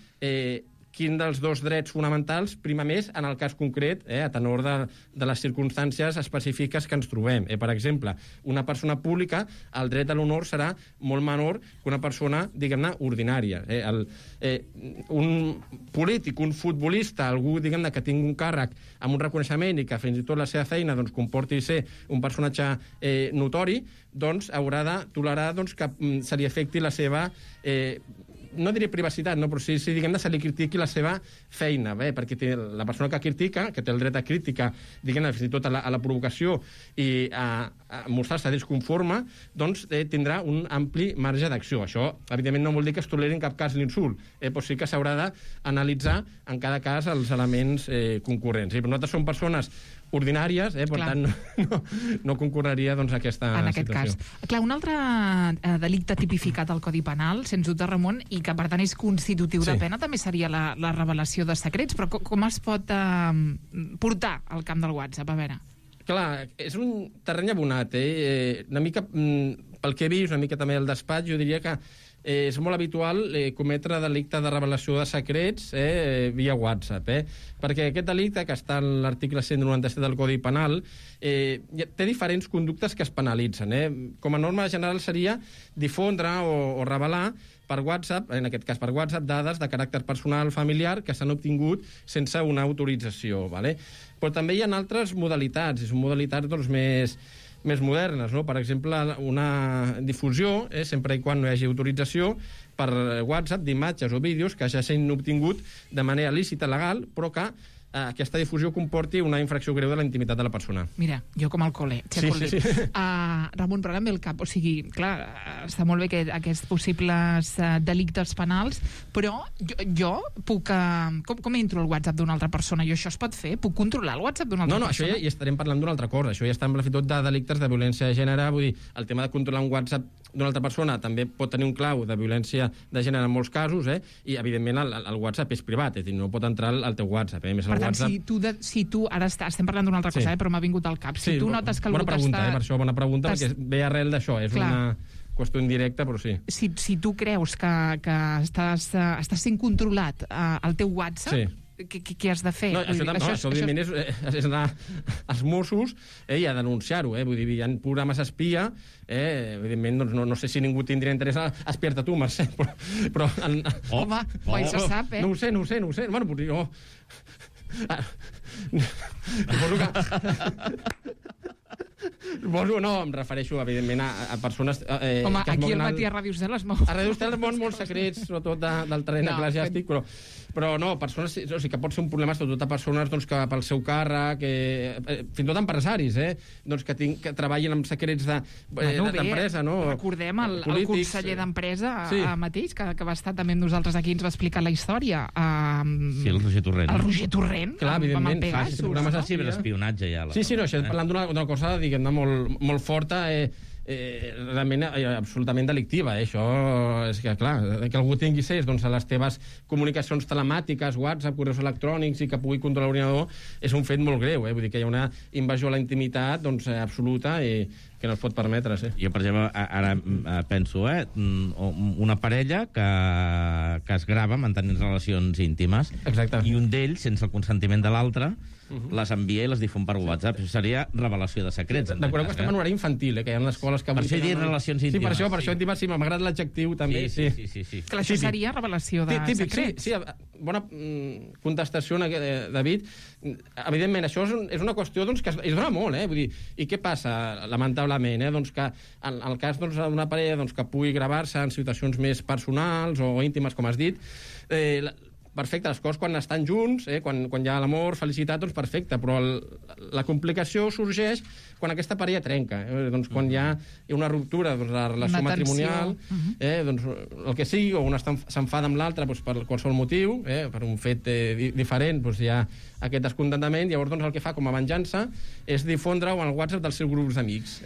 R: quin dels dos drets fonamentals prima més en el cas concret, a tenor de les circumstàncies específiques que ens trobem. Per exemple, una persona pública, el dret a l'honor serà molt menor que una persona, diguem-ne, ordinària. Un polític, un futbolista, algú, diguem-ne, que tingui un càrrec amb un reconeixement i que fins i tot la seva feina comporti ser un personatge notori, doncs haurà de tolerar que se li afecti la seva no diré privacitat, no, però sí diguem, se li critiqui la seva feina, perquè la persona que critica, que té el dret a crítica, diguem, fins i tot a la provocació i a mostrar-se disconforme, doncs tindrà un ampli marge d'acció. Això, evidentment, no vol dir que es toleri en cap cas l'insult, però sí que s'haurà d'analitzar en cada cas els elements concurrents. I nosaltres som persones ordinàries, per tant no concorreria aquesta
M: en aquest
R: situació.
M: Cas. Clar, un altre delicte tipificat al Codi Penal, sens dubte, Ramon, i que per tant és constitutiu de pena, també seria la revelació de secrets, però com es pot portar al camp del WhatsApp? A veure.
R: Clar, és un terreny abonat, una mica, pel que he vist, una mica també al despatx, jo diria que és molt habitual cometre delicte de revelació de secrets via WhatsApp, perquè aquest delicte, que està en l'article 197 del Codi Penal, té diferents conductes que es penalitzen. Com a norma general seria difondre o revelar per WhatsApp, en aquest cas per WhatsApp, dades de caràcter personal familiar que s'han obtingut sense una autorització. Però també hi ha altres modalitats, i són modalitats més modernes, no? Per exemple, una difusió, sempre i quan no hi hagi autorització, per WhatsApp d'imatges o vídeos que ja s'han obtingut de manera lícita, legal, però que aquesta difusió comporti una infracció greu de la intimitat de la persona.
M: Mira, jo com al col·le.
R: Sí.
M: Ramon, però ara ve el cap. O sigui, clar, està molt bé aquests possibles delictes penals, però jo puc... Com entro al WhatsApp d'una altra persona? Jo això es pot fer? Puc controlar el WhatsApp d'una altra persona?
R: No, això ja estarem parlant d'una altra cosa. Això ja està amb la fitot de delictes de violència de gènere. Vull dir, el tema de controlar un WhatsApp d'una altra persona també pot tenir un clau de violència de gènere en molts casos, i evidentment el WhatsApp és privat, és a dir, no pot entrar al teu WhatsApp.
M: Per tant, si tu ara estem parlant d'una altra cosa, però m'ha vingut al cap. Si tu notes que algú
R: t'està... Per això, bona pregunta, perquè ve arrel d'això. És una qüestió indirecta, però sí.
M: Si tu creus que estàs sent controlat al teu WhatsApp, què has de fer?
R: No, això evidentment és anar als Mossos i a denunciar-ho. Vull dir, hi ha programes espia, evidentment, no sé si ningú tindria interès a espiar-te tu, Mercè, però...
M: Home, mai se sap,
R: No ho sé. Bueno, potser jo... Suposo, no, em refereixo, evidentment, a persones...
M: Home, aquí al matí a Ràdio Estel es mou.
R: A Ràdio Estel es mouen molts secrets, sobretot del terreny eclesiàstic, però no, persones, o sigui, que pot ser un problema sobretot a persones que pel seu càrrec, fins i tot empresaris, que treballin amb secrets d'empresa, no?
M: Recordem el conseller d'Empresa mateix, que va estar també amb nosaltres aquí, ens va explicar la història.
Q: Sí, el Roger Torrent.
M: El Roger Torrent,
R: clar, evidentment,
Q: programes de ciberespionatge ja.
R: Sí, no, això parlant d'una cosa, diguem-ne, molt forta, realment absolutament delictiva. Això és que, clar, que algú tingui accés a les teves comunicacions telemàtiques, WhatsApp, correus electrònics, i que pugui controlar l'ordinador, és un fet molt greu. Vull dir que hi ha una invasió a la intimitat absoluta i que no es pot permetre.
Q: Jo, per exemple, ara penso, una parella que es grava mantenint relacions íntimes.
R: Exacte.
Q: I un d'ells, sense el consentiment de l'altre, les envia i les difon per WhatsApp. Això seria revelació de secrets.
R: Recordeu que estem en horari infantil, que hi ha escoles que...
Q: Per això he dit relacions íntimes.
R: Sí, per això íntimes, sí, m'agrada l'adjectiu també.
Q: Sí.
M: Clar, això seria revelació de secrets.
R: Sí, bona contestació, David. Evidentment, això és una qüestió que es dona molt, vull dir, i què passa, lamentablement, que en el cas d'una parella que pugui gravar-se en situacions més personals o íntimes, com has dit, perfecte, les coses quan estan junts, quan hi ha l'amor, felicitat, doncs perfecte, però la complicació sorgeix quan aquesta parella trenca, quan hi ha una ruptura de la relació matrimonial, doncs el que sigui, o un s'enfada amb l'altre per qualsevol motiu, per un fet diferent, doncs hi ha aquest descontentament, llavors el que fa com a venjança és difondre-ho en el WhatsApp dels seus grups d'amics.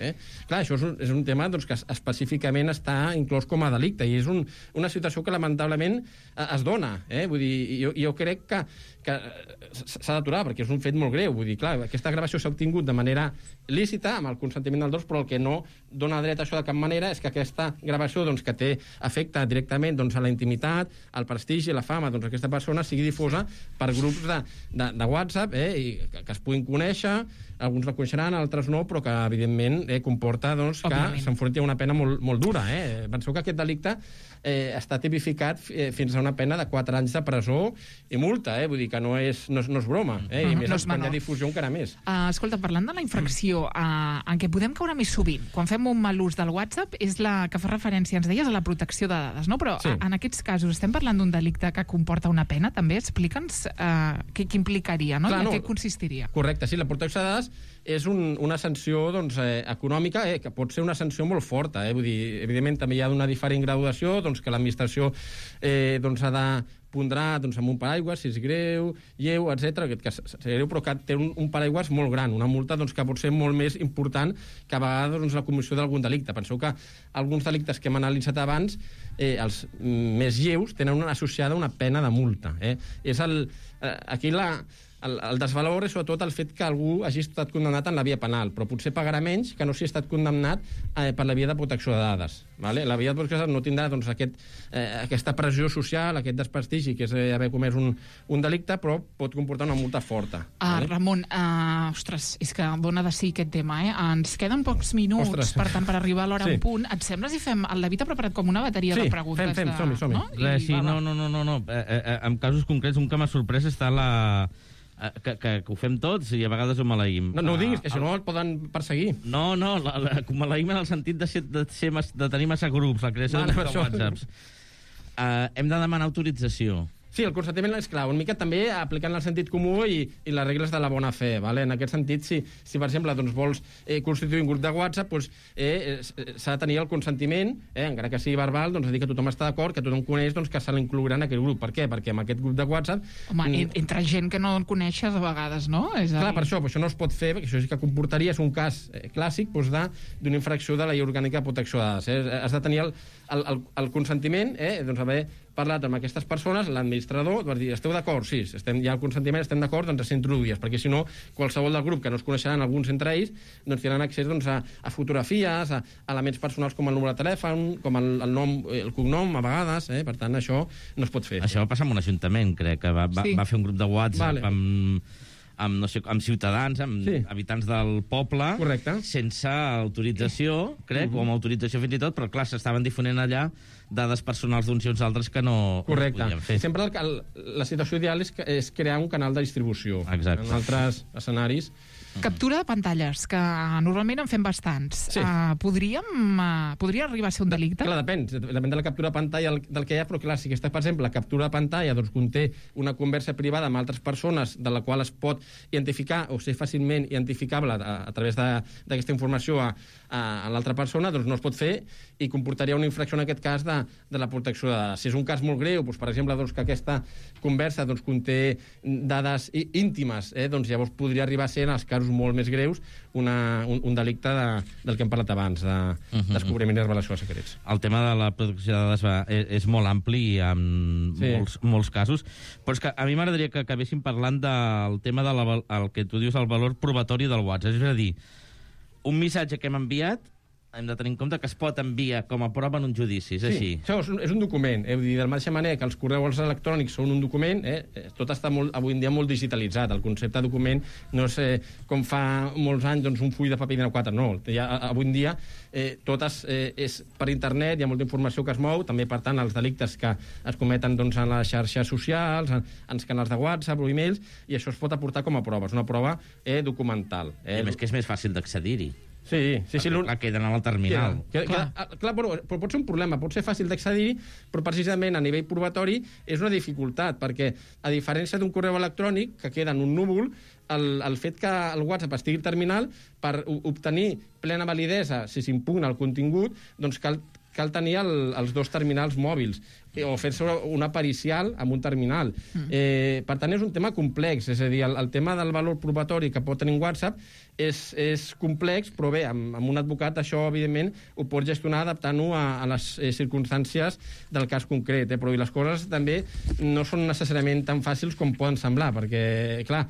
R: Clar, això és un tema que específicament està inclòs com a delicte, i és una situació que lamentablement es dona. Vull dir, jo crec que s'ha d'aturar, perquè és un fet molt greu. Vull dir, clar, aquesta gravació s'ha obtingut de manera lícita, amb el consentiment dels dos, però el que no dona dret a això de cap manera és que aquesta gravació que afecta directament a la intimitat, al prestigi, la fama d'aquesta persona sigui difosa per grups de WhatsApp, i que es puguin conèixer alguns la coneixeran, altres no, però que, evidentment, comporta doncs, que s'enfronti a una pena molt, molt dura. Penseu que aquest delicte està tipificat fins a una pena de 4 anys de presó i multa, vull dir que no és broma, i més quan hi ha difusió encara més.
M: Escolta, parlant de la infracció en què podem caure més sovint, quan fem un mal ús del WhatsApp, és la que fa referència, ens deies, a la protecció de dades, no? Però en aquests casos estem parlant d'un delicte que comporta una pena, també? Explica'ns què implicaria, no? I en què consistiria.
R: Correcte, sí, la protecció de dades és una sanció econòmica, que pot ser una sanció molt forta, vull dir, evidentment també hi ha una diferent graduació, que l'administració ha de pondrà amb un paraigua, si és greu, lleu, etc. Que és greu, però que té un paraigua molt gran, una multa que pot ser molt més important que a vegades la comissió d'algun delicte. Penseu que alguns delictes que hem analitzat abans, els més lleus, tenen associada una pena de multa. Aquí el desvalor és sobretot el fet que algú hagi estat condemnat en la via penal, però potser pagarà menys que no si ha estat condemnat per la via de protecció de dades. La via de protecció de dades no tindrà aquesta pressió social, aquest desprestigi, que és haver comès un delicte, però pot comportar una multa forta.
M: Ramon, ostres, és que dona de sí aquest tema, Ens queden pocs minuts, per tant, per arribar a l'hora en punt. Et sembla si fem... El David ha preparat com una bateria de preguntes.
R: Sí, fem, som-hi.
Q: Sí, no. En casos concrets, un que m'ha sorprès està que ho fem tots i a vegades ho maleïm.
R: No ho diguis, que si no el poden perseguir.
Q: No, maleïm en el sentit de tenir massa grups, la creació de WhatsApps. Hem de demanar autorització.
R: Sí, el consentiment és clar, una mica també aplicant el sentit comú i les regles de la bona fe. En aquest sentit, si per exemple vols constituir un grup de WhatsApp, s'ha de tenir el consentiment, encara que sigui verbal, dir que tothom està d'acord, que tothom coneix que se l'inclourà en aquest grup. Per què? Perquè en aquest grup de WhatsApp...
M: Home, entre gent que no el coneixes a vegades, no?
R: Clar, per això no es pot fer, perquè això sí que comportaria, és un cas clàssic d'una infracció de la llei orgànica de protecció de dades. Has de tenir el consentiment, haver parlat amb aquestes persones, l'administrador, va dir, esteu d'acord? Sí, hi ha el consentiment, estem d'acord, doncs s'introduïes, perquè si no, qualsevol del grup que no es coneixeran alguns entre ells, tindran accés a fotografies, a elements personals com el número de telèfon, com el nom, el cognom, a vegades, per tant, això no es pot fer.
Q: Això va passar amb un ajuntament, crec, que va fer un grup de WhatsApp amb ciutadans, amb habitants del poble, sense autorització, crec, o amb autorització fins i tot, però clar, s'estaven difonent allà dades personals d'uns i uns altres que no podien fer.
R: Sempre la situació ideal és crear un canal de distribució.
Q: Exacte.
R: En altres escenaris...
M: Captura de pantalles, que normalment en fem bastants. Podria arribar a ser un delicte?
R: Clar, depèn de la captura de pantalla del que hi ha, però clar, si aquesta, per exemple, la captura de pantalla conté una conversa privada amb altres persones de la qual es pot identificar o ser fàcilment identificable a través d'aquesta informació a l'altra persona, doncs no es pot fer i comportaria una infracció en aquest cas de la protecció de dades. Si és un cas molt greu, per exemple, que aquesta conversa conté dades íntimes, doncs llavors podria arribar a ser, en els casos molt més greus, un delicte del que hem parlat abans, de descobriment i revelació de secrets.
Q: El tema de la protecció de dades és molt ampli i hi ha molts casos, però és que a mi m'agradaria que acabéssim parlant del tema del que tu dius, el valor probatori del WhatsApp. És a dir, un missatge que hem enviat hem de tenir en compte que es pot enviar com a prova en un judici, és així?
R: Això és un document. De la mateixa manera que els correus electrònics són un document, tot està avui en dia molt digitalitzat. El concepte de document no és com fa molts anys un full de paper de 4, no. Avui en dia tot és per internet, hi ha molta informació que es mou, també, per tant, els delictes que es cometen en les xarxes socials, en els canals de WhatsApp o e-mails, i això es pot aportar com a prova. És una prova documental.
Q: I a més que és més fàcil d'accedir-hi.
R: Sí.
Q: Clar, queden al terminal.
R: Clar, però pot ser un problema, pot ser fàcil d'accedir, però precisament a nivell probatori és una dificultat, perquè a diferència d'un correu electrònic que queda en un núvol, el fet que el WhatsApp estigui al terminal, per obtenir plena validesa, si s'impugna el contingut, doncs cal tenir els dos terminals mòbils o fer-se una pericial amb un terminal. Per tant, és un tema complex, és a dir, el tema del valor probatori que pot tenir un WhatsApp és complex, però bé, amb un advocat això, evidentment, ho pot gestionar adaptant-ho a les circumstàncies del cas concret, però les coses també no són necessàriament tan fàcils com poden semblar, perquè, clar,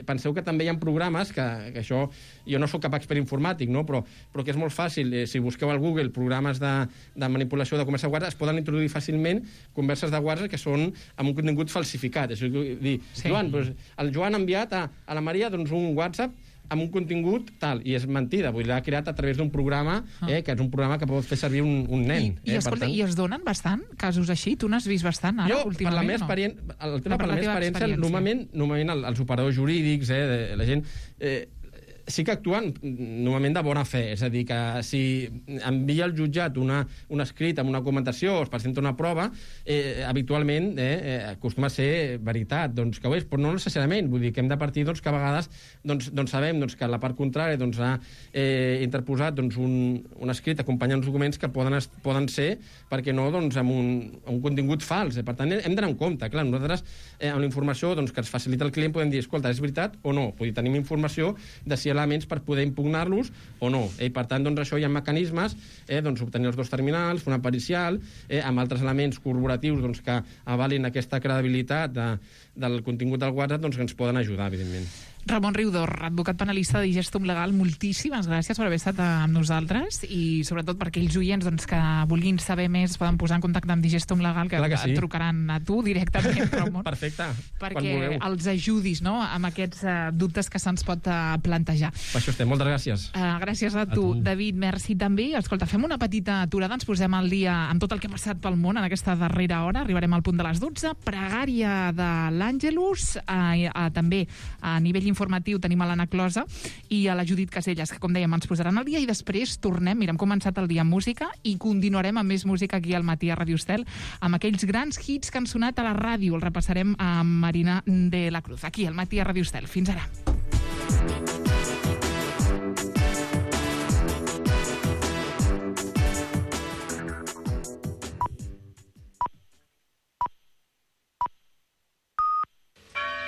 R: penseu que també hi ha programes que això, jo no sóc cap expert informàtic, no? però que és molt fàcil, si busqueu al Google programes de manipulació de conversa de WhatsApp, es poden introduir fàcilment converses de WhatsApp que són amb un contingut falsificat. És a dir, Joan, el Joan ha enviat a la Maria un WhatsApp amb un contingut tal, i és mentida, vull dir, l'ha creat a través d'un programa, que és un programa que pot fer servir un nen.
M: Escolta, i es donen bastant casos així? Tu n'has vist bastant ara, últimament?
R: Per la meva experiència, normalment els operadors jurídics, la gent... sí que actuen normalment de bona fe, és a dir, que si envia al jutjat un escrit amb una documentació o es presenta una prova, habitualment acostuma a ser veritat, doncs que ho és, però no necessàriament, vull dir que hem de partir que a vegades sabem que la part contrària ha interposat un escrit acompanyant uns documents que poden ser, perquè no, amb un contingut fals. Per tant, hem d'anar en compte. Clar, nosaltres, amb la informació que ens facilita el client, podem dir, escolta, és veritat o no? Vull dir, tenim informació de si elements per poder impugnar-los o no. Per tant, això hi ha mecanismes, obtenir els 2 terminals, fer una pericial, amb altres elements corporatius que avalin aquesta credibilitat del contingut del WhatsApp, que ens poden ajudar, evidentment.
M: Ramon Riudor, advocat penalista de Digestum Legal, moltíssimes gràcies per haver estat amb nosaltres i sobretot per aquells oients que vulguin saber més poden posar en contacte amb Digestum Legal, que et trucaran a tu directament, Ramon.
R: Perfecte.
M: Perquè els ajudis amb aquests dubtes que se'ns pot plantejar.
R: Per això estem. Moltes gràcies.
M: Gràcies a tu. David, merci també. Escolta, fem una petita aturada, ens posem al dia amb tot el que ha passat pel món en aquesta darrera hora. Arribarem al punt de les 12. Pregària de l'Àngelus. També a nivell informatiu tenim a l'Anna Closa i a la Judit Caselles, que com dèiem ens posaran al dia, i després tornem, hem començat el dia amb música i continuarem amb més música aquí al matí a Radio Estel, amb aquells grans hits que han sonat a la ràdio. El repassarem amb Marina de la Cruz, aquí al matí a Radio Estel. Fins ara.